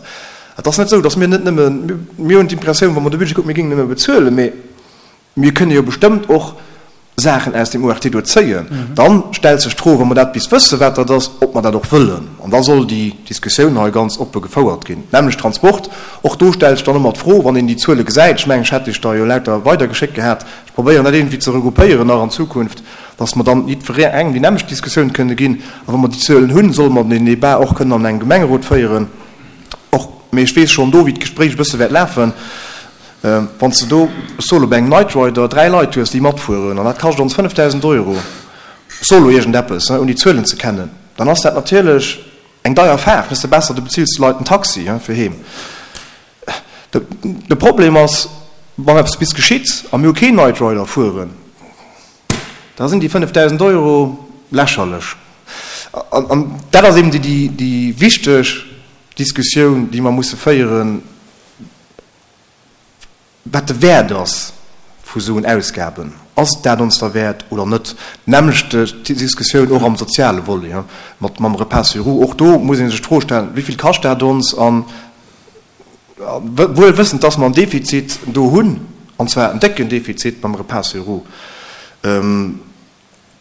Et ass net esou, dass mir net nëmme, mir hunn d'Impressioun, wa mer de Budget kucken, mir géingen nëmme bezuelen, mee Mir kënne jo bestëmmt och Saachen aus dem ORT do zéien. Dann stellt sech d'Fro, wa mer dat bis wëssen, wat dat ass, ob mer dat och wëllen. An da soll déi Diskussioun hei ganz oppe gefouert ginn. D'nämmlecht Transport, och do stellt sech dann ëmmer d'Fro, wann een déi Zuele gesäit, ech mengen, ech hätt Iech der jo lauter weidergeschéckt gehat, ech probéieren dat iergendwéi ze regroupéieren nach an Zukunft, dass mer dann jiddwerengem déi nämmlecht Diskussioun kënne ginn. A wa mer déi Zuelen hunn, solle mer den Débat och kënnen an engem Gemengerot féieren. Och, mee ech weess schonn do, wéi d'Gespréich e bësse wäert lafen. Wann s de do, ech soe lo, bei engem Night Rider 3 Leit hues, déi matfueren, an dat kascht ons 5.000 Euro, ech soe lo iergendeppes, ouni d'Zuelen ze kennen, dann ass dat natierlech eng deier Faart. Dann ass et besser, du bezills de Leit en Taxi fir heem. De Problem ass, wann eppes bis geschitt a mir hu keen Night Rider fueren, da sinn déi 5.000 Euro lächerlech. An dat ass eben déi wichteg Diskussioun, déi mer musse féieren. Wat de Wäert ass vu souen Ausgaben. Ass et dat ons derwäert oder net? D'nämmlecht Diskussioun och am soziale Volet mat mam Repas sur roues. Och do muss ee sech d'Fro stellen, Wéi vill kascht dat ons? An wuel wëssend, dass mer en Defizit do hunn, an zwar en décken Defizit beim Repas sur roues,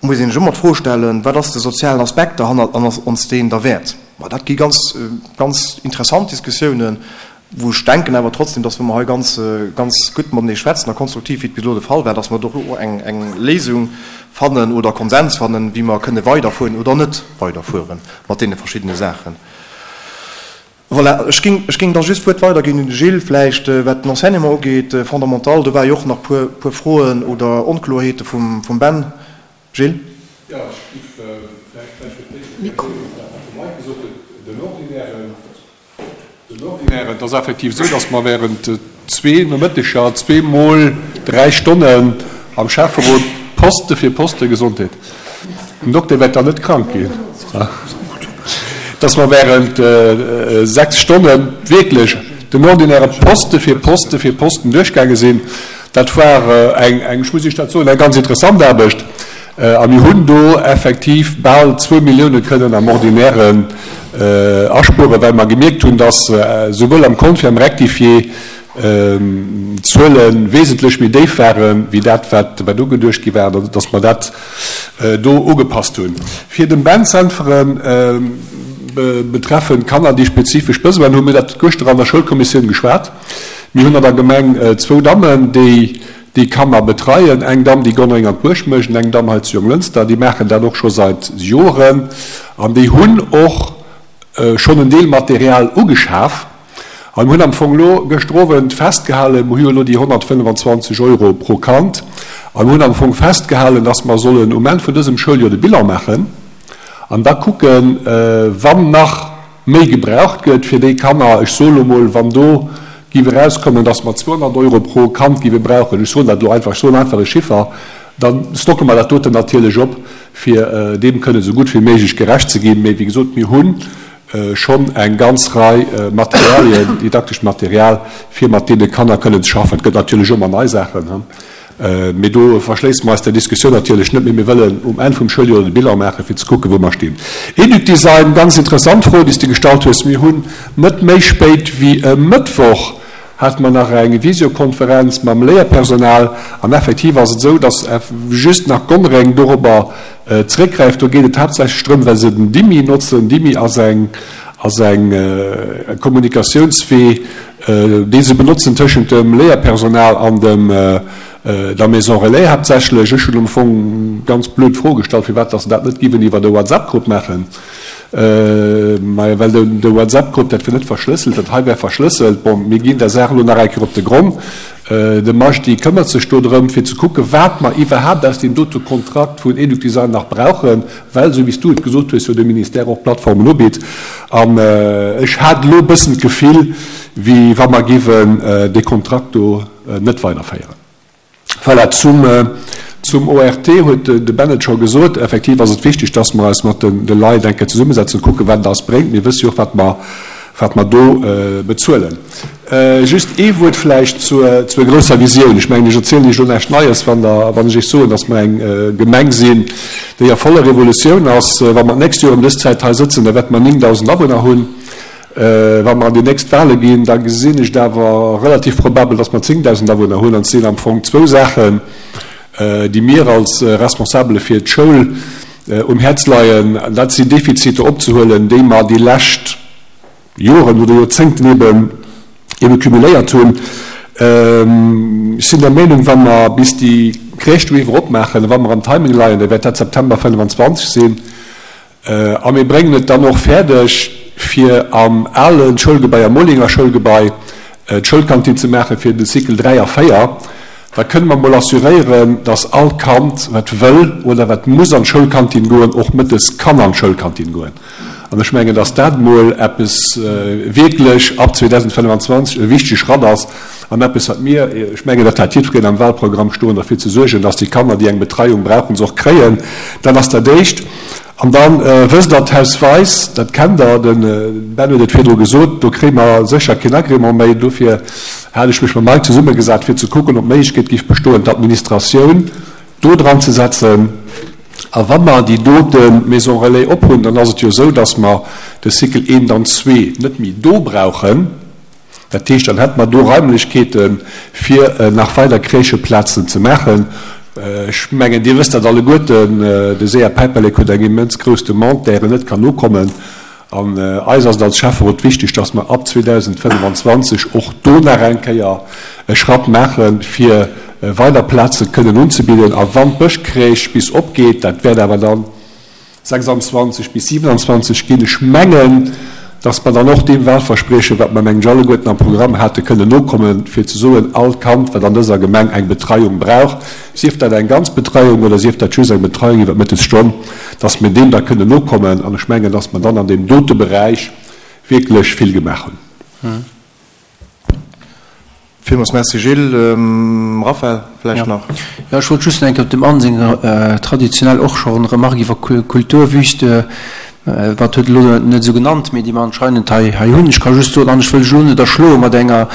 muss een sech ëmmer d'Fro stellen, Wat ass de sozialen Aspekt derhannert an ass ons deen derwäert? Ma dat gi ganz, ganz interessant Diskussiounen, wou ech denken awer trotzdem, dass wa mer hei ganz, ganz gutt matenee schwätzen a konstruktiv, wéi et bis elo de Fall war, dass mer do och eng, eng Léisung fannen oder Konsens fannen, wéi mer kënne weiderfueren oder net weiderfuere mat deene verschiddene Saachen. Voilà, ech géing, ech géing da just d'Wuert weiderginn un de Gilles, vläicht wat den Enseignement ugeet, fondamental. Do war jo och nach puer, puer Froen oder Onkloerheete vum, vum Ben. Gilles? Jo, ech géif vläicht gläich fir d'éischt reagéieren op dat, wat de Mike gesot huet. Den Ordinären, den Ordinären, et ass effektiv esou, datt mer während zwee Nomëtteger, zweemol dräi Stonnen am Schäfferot Poste fir Poste, Gesondheet, den Dokter wäert dann net krank ginn, dass mer während sechs Stonne wierklech den ordinäre Poste fir Poste fir Posten duerchgaange sinn. Dat war eng, ech muss Iech dat soen, eng ganz interessant Aarbecht. A mir hunn do effektiv bal zwou Millioune kënnen am Ordinären aspueren, well mer gemierkt hunn, dass souwuel am Kont wéi am Rectifié d'Zuele wesentlech méi déif ware wéi dat, wat ugeduecht gi war, dass mer dat do ugepasst hunn. Fir dem Ben z'äntweren, betreffend Kanner, déi spezifesch Besoinen hunn, mir hunn dat gëschter an der Schoulkommissioun geschwat. Mir hunn an der Gemeng zwou Dammen, déi déi Kanner betreien, eng Damm, déi Gonnereng an d'Buerg mécht, an eng Damm hei zu Jonglënster. Déi maachen dat och scho seit Joren an déi hunn och schonn en Deel Material ugeschaf. A mir hunn am Fong elo gëschter Owend festgehalen, mir hu jo elo déi 125 Euro pro Kand, a mir hunn am Fong festgehalen, dass mer sollen um Enn vun dësem Schouljoer de Bilan maachen. An da kucken, wann nach méi gebraucht gëtt fir déi Kanner, ech soe lo mol, wann do géif erauskommen, dass mer 200 Euro pro Kand géife brauchen, ech soen dat elo einfach, ech soen einfach e Chiffer, da stocke mer dat doten natierlech op, fir deem kënnen esou gutt wéi méiglech gerecht ze ginn. Mee wéi gesot, mir hu schonn eng ganz Rei Materialien, didaktescht Material, fir mat deene Kanner kënnen ze schaffen. Et gëtt natierlech ëmmer nei Saachen. Mee do verschléisse mer eis der Diskussioun natierlech net, mee mir wëllen um Enn vum Schouljoer de Bilan maachen, fir ze kucken, wou mer stinn. Educdesign, ganz interessant Fro, déi s de gestallt hues. Mir hunn net méi spéit wéi e Mëttwoch hate mer nach eng Visiokonferenz mam Léierpersonal an effektiv ass et esou, dass just nach Gonnereng dorobber zeréckgräift. Do geet et haaptsächlech drëm, well se den Dimi notzen. Dimi ass eng ass eng Kommunikatiounswee, dee se benotzen tëschent dem Léierpersonal an dem der Maison Relais haaptsächlech. Ech hunn am Fong ganz blöd d'Fro gestallt, firwat dass se dat net giwen iwwert e WhatsApp-Grupp maachen. Majo, well de WhatsApp-Grupp, dat wier net verschlësselt, dat hei wär verschlësselt. Bon, mir ginn der Saach elo nach eng Kéier op de Gronn. De Majdi këmmert sech do drëm, fir ze kucken, wat mer iwwerhaapt aus deem dote Kontrakt vun Educdesign nach brauchen. Well, esou wéi s du et gesot hues, jo de Ministère och Plattformen ubitt. An ech hat elo e bëssen d'Gefill, wéi wa mer géiwen dee Kontrakt do net weiderféieren. Voilà, zum, zum ORT huet de Ben et scho gesot. Effektiv ass et wichteg, dass mer eis mat de Leit eng Kéier zesummesetzen, kucken, wat et eis bréngt. Mir wësse jo och, wat mer, wat mer do bezuelen. Just ee Wuert vläicht zur, zur grousser Visioun. Ech mengen, ech erzielen Iech elo näischt Neies, wann Der, wann ech Iech soen, dass mer eng Gemeng sinn, déi a voller Revolutioun ass. Wa mer d'nächst Joer ëm dës Zäit hei sëtzen, da wäerte mer 9.000 Awunner hunn. Wa mer an déi nächst Wahle ginn, da gesinn ech et awer relativ probabel, dass mer 10.000 Awunner hunn. An et sinn am Fong zwou Saachen, déi mir als Responsabele fir d'Schoul um Häerz leien. Dat sinn Defiziter opzehuelen, déi mer déi lescht, Joren oder Joerzéngten eben ebe cumuléiert hunn. Ech sinn der Meenung, wa mer bis déi Crèche do iwwer opmaachen a wa mer am Timing leien, da wäert dat September 25 sinn, a mir bréngen et dann och fäerdeg, fir am ale Schoulgebai, am Molinger Schoulgebai, d'Schoulkantin ze maache fir de Cycle 3 a 4, da kënne mer mol assuréieren, dass all Kand, wat wëll oder wat muss an d'Schoulkantin goen, och mëttes kann an d'Schoulkantin goen. An ech mengen, dass dat emol eppes wierklech ab 2025 e wichtege Schratt ass an eppes, wat mir, ech mengen, dat hat jiddwereen am Wahlprogramm stoen, derfir ze suergen, dass déi Kanner, déi eng Betreiung brauchen, se och kréien. Dat ass dat Éischt. An da wësst Der, d'Haus Weis, dat kennt Der, de Ben huet et virdru gesot, do kréie mer sécher keen Agrément méi. Dofir hat ech mech mam Mike zesummegesat, fir ze kucken, ob d'Méiglechkeet géif bestoen, d'Administratioun do dran ze setzen. A wa mer déi dote Maison relais ophunn, dann ass et jo esou, dass mer de Cycle eent an zwee net méi do brauchen. Dat heescht, dann hätte mer do Raimlechkeete fir nach weider Crècheplazen ze maachen. Ech mengen, Dir wësst dat alleguerten, de sea Päiperlek huet eng immens grouss Demande, där en net kann nokommen. An eis ass et als Schäfferot wichteg, dass mer ab 2025 och do nach eng Kéier e Schratt maachen, fir weider Plaze kënnen unzebidden. A wann d'Bëschcrèche bis opgeet, dat wäert awer dann 26 bis 27 ginn, ech mengen, dass mer dann och deem Wahlverspriechen, wat mer, mengen ech, alleguerten am Programm haten, kënnen nokommen, fir ze soen, all Kand, wat an dëser Gemeng eng Betreiung brauch, sief dat eng ganz Betreiung oder sief dat just eng Betreiung iwwer d'Mëttesstonn, dass mir deem da kënnen nokommen. An ech mengen, dass mer dann an deem dote Beräich wierklech vill gemaach hunn. Villmools Merci, Gilles. Raphaël, vläicht nach? Jo, ech wollt just nach eng Kéier op dem Anne seng traditionell och scho Remarque iwwer Kulturwüste, wat huet elo net esou genannt, mee déi mer anscheinend hei hei hunn. Ech ka just soen, an ech wëll lech elo net erschloe mat enger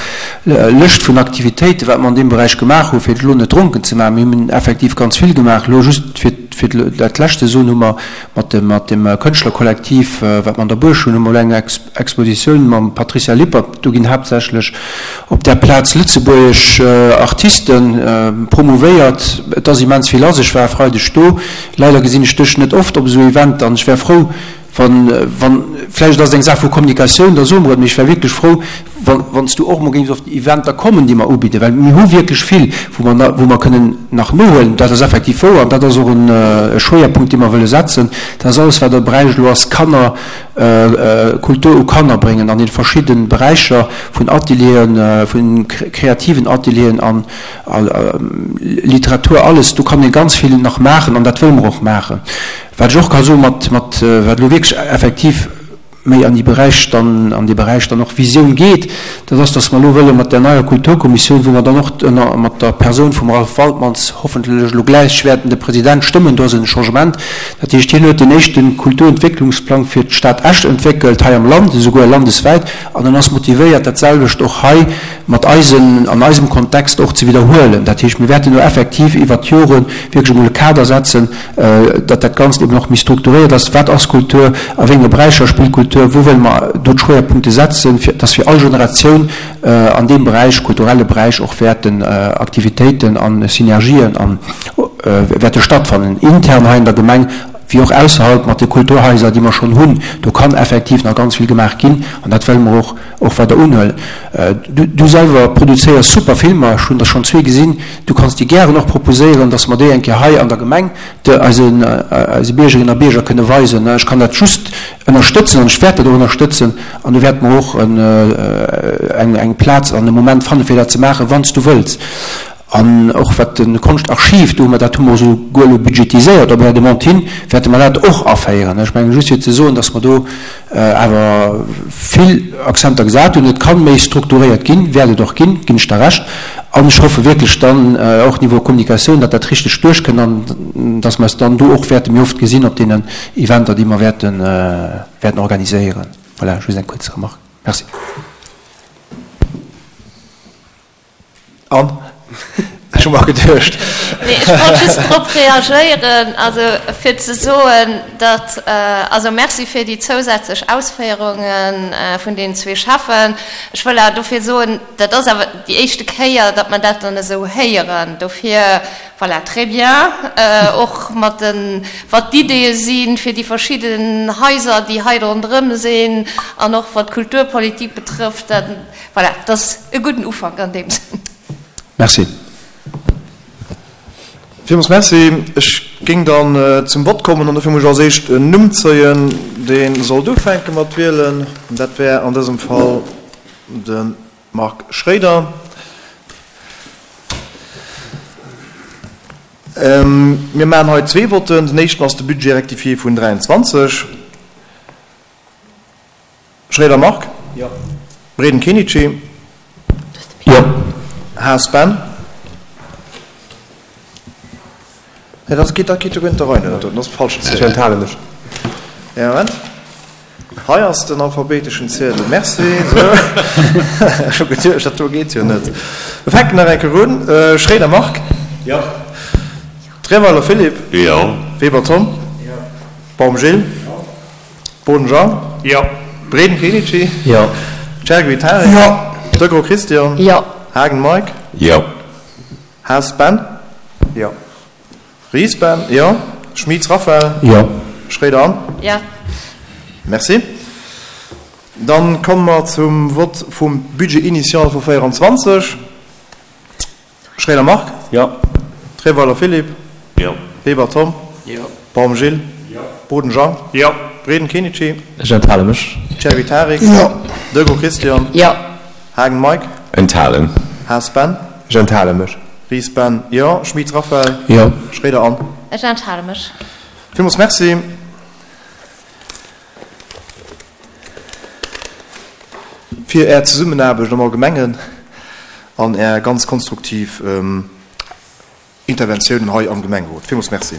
Lëscht vun Aktivitéiten, wat mer an deem Beräich gemaach hunn, fir et elo net dronken ze maachen. Mir hunn effektiv ganz vill gemaach. Elo just fir fir dat Lescht ze soen, hu mer mat dem mat dem Kënschtlerkollektiv, wat mer an der Buerg hunn, hu mer elo eng Expositioun mam Patricia Lippert. Do ginn haaptsächlech op där Plaz lëtzebuergesch Artiste promouvéiert. Et ass immens vill lass. Ech war e Freideg do. Leider gesinn ech dech net oft op esou Eventer an ech wär frou, wann, wann, vläicht ass et eng Saach vu Kommunikatioun, da soe mer et, mee ech wär wierklech frou, Wann s du och emol géings op déi Eventer kommen, déi mer ubidden, well mir hu wierklech vill, wou mer, wou mer kënnen nach nohuelen, dat ass effektiv wouer an dat ass och e Schwéierpunkt, dee mer wëlle setzen, dat ass alles, wat am Beräich elo ass, Kanner, Kultur u Kanner bréngen an den verschidde Beräicher vun Atelieren, vu kreativen Atelieren an Literatur, alles, do kann ee ganz vill nach maachen an dat wëlle mer och maachen. Wat ech och ka soen, mat, mat, wat elo wierklech effektiv méi an déi Beräich dann, an dee Beräich dann och Visioun geet, dat ass, dass mer elo wëlle mat där neier Kulturkommissioun, wou mer dann och ënner, mat der Persoun vum Ralph Waltmanns hoffentlech elo gläich wäerten de President stëmmen, do ass en Changement, dat heescht, hien huet den éischte Kulturentwécklungsplang fir d'Stad Esch entwéckelt, hei am Land, esouguer landeswäit, an en ass motivéiert, dat selwecht och hei mat eisen, an eisem Kontext och ze widderhuelen. Dat heescht, mir wäerten do effektiv iwwert d'Jore wierklech emol e Kader setzen, datt dat Ganzt eben och méi strukturéiert ass. Wat ass Kultur? A wéi enge Beräicher spillt Kultur? Wou wëlle mer do d'Schwéierpunkte setzen, fir datt fir all Generatioun an deem Beräich, kulturelle Beräich, och wäerten Aktivitéiten a Synergien a wäerte stattfannen, intern hei an der Gemeng wéi och ausserhalb mat de Kulturhaiser, déi mer schonn hunn. Do kann effektiv nach ganz vill gemaach ginn an dat wëlle mer och och weider unhuelen. Du selwer produzéiers super Filmer, ech hunn der schonn zwee gesinn. Du kanns déi gären och proposéieren, dass mer déi eng Kéier hei an der Gemeng de eisen eise Biergerinnen a Bierger kënne weisen. Ech kann dat just ënnerstëtzen an ech wäert dat och ënnerstëtzen an do wäerte mer och eng eng Plaz an e Moment fanne fir dat ze maachen, wann s du wëlls. An och wat de Konschtarchiv, do hu mer, dat hu mer esouguer elo budgetiséiert op Är Demande hin, wäerte mer dat och aféieren. Ech mengen, just fir ze soen, dass mer do awer vill Akzenter gesat hunn. Et kann méi strukturéiert ginn, wäert et och ginn, ginn ech der Recht. An ech hoffe wierklech dann och niveau Kommunikatioun, datt dat richteg duerchkënnt an datt mer eis dann do och wäerte méi oft gesinn op deenen Eventer, déi mer wäerten, wäerten organiséieren. Voilà, just eng kuerz Remarque. Merci. An? Ech hu mer geduecht. Nee, ech wollt just drop reagéieren, also fir ze soen, datt, also Merci fir déi zousätzlech Ausféierunge vun deenen zwee Schäffen. Ech wëll awer dofir soen, dat ass awer déi éischte Kéier, datt mer dat dann esou héieren. Dofir, voilà, très bien, och mat den, wat d'Ideeë si fir déi verschidden Haiser, déi hei ronderëm sinn, an och wat d'Kulturpolitik betrëfft, dat, Voilà, dat ass e gudden Ufank an deem Sënn. Merci. Villmools Merci. Ech géing dann zum Vott kommen an dofir muss ech als éischt en Numm zéien, dee sollt ufänke mat wielen. Dat wär an dësem Fall de Marc Schréider. Mir maachen hei zwee Votten. Den éischten ass de Budget rectifié vun 23. Schréider Marc. Jo. Breden Kenichi. Jo. Haas Ben. Nee, dat geet, dat geet jo guer net der Rei no, dat ass falschen Ziedel. Ech enthale mech. Ja, Moment. Hei ass den alphabeteschen Ziedel. Merci. Sou. Ech hu geduecht, dat do geet jo net. Mir fänken nach eng Kéier un. Schréider Marc. Jo. Treweiler Philippe. Jo. Weber Tom. Jo. Baum Gilles. Jo. Boden Jean. Jo. Breden Kenichi. Jo. Chergui Tarek. Jo. Degros Christian. Jo. Haagen Mike. Jo. Haas Ben. Jo. Ries Ben. Jo. Schmitz Raphaël. Jo. Schréider Anne. Jo. Merci. Dann komme mer zum Vott vum Budget initial vu 24. Schréider Marc. Jo. Treweiler Philippe. Jo. Weber Tom. Jo. Baum Gilles. Jo. Boden Jean. Jo. Breden Kenichi. Ech enthale mech. Chergui Tarik. Jo. Degros Christian. Jo. Haagen Mike. Enthalen. Haas Ben. Ech enthale mech. Ries Ben. Jo. Schmit Raphaël. Jo. Schréider Anne. Ech enthale mech. Villmools Merci. Fir Är Zesummenaarbecht am Allgemengen an Är ganz konstruktiv Interventiounen hei am Gemengerot. Villmools Merci.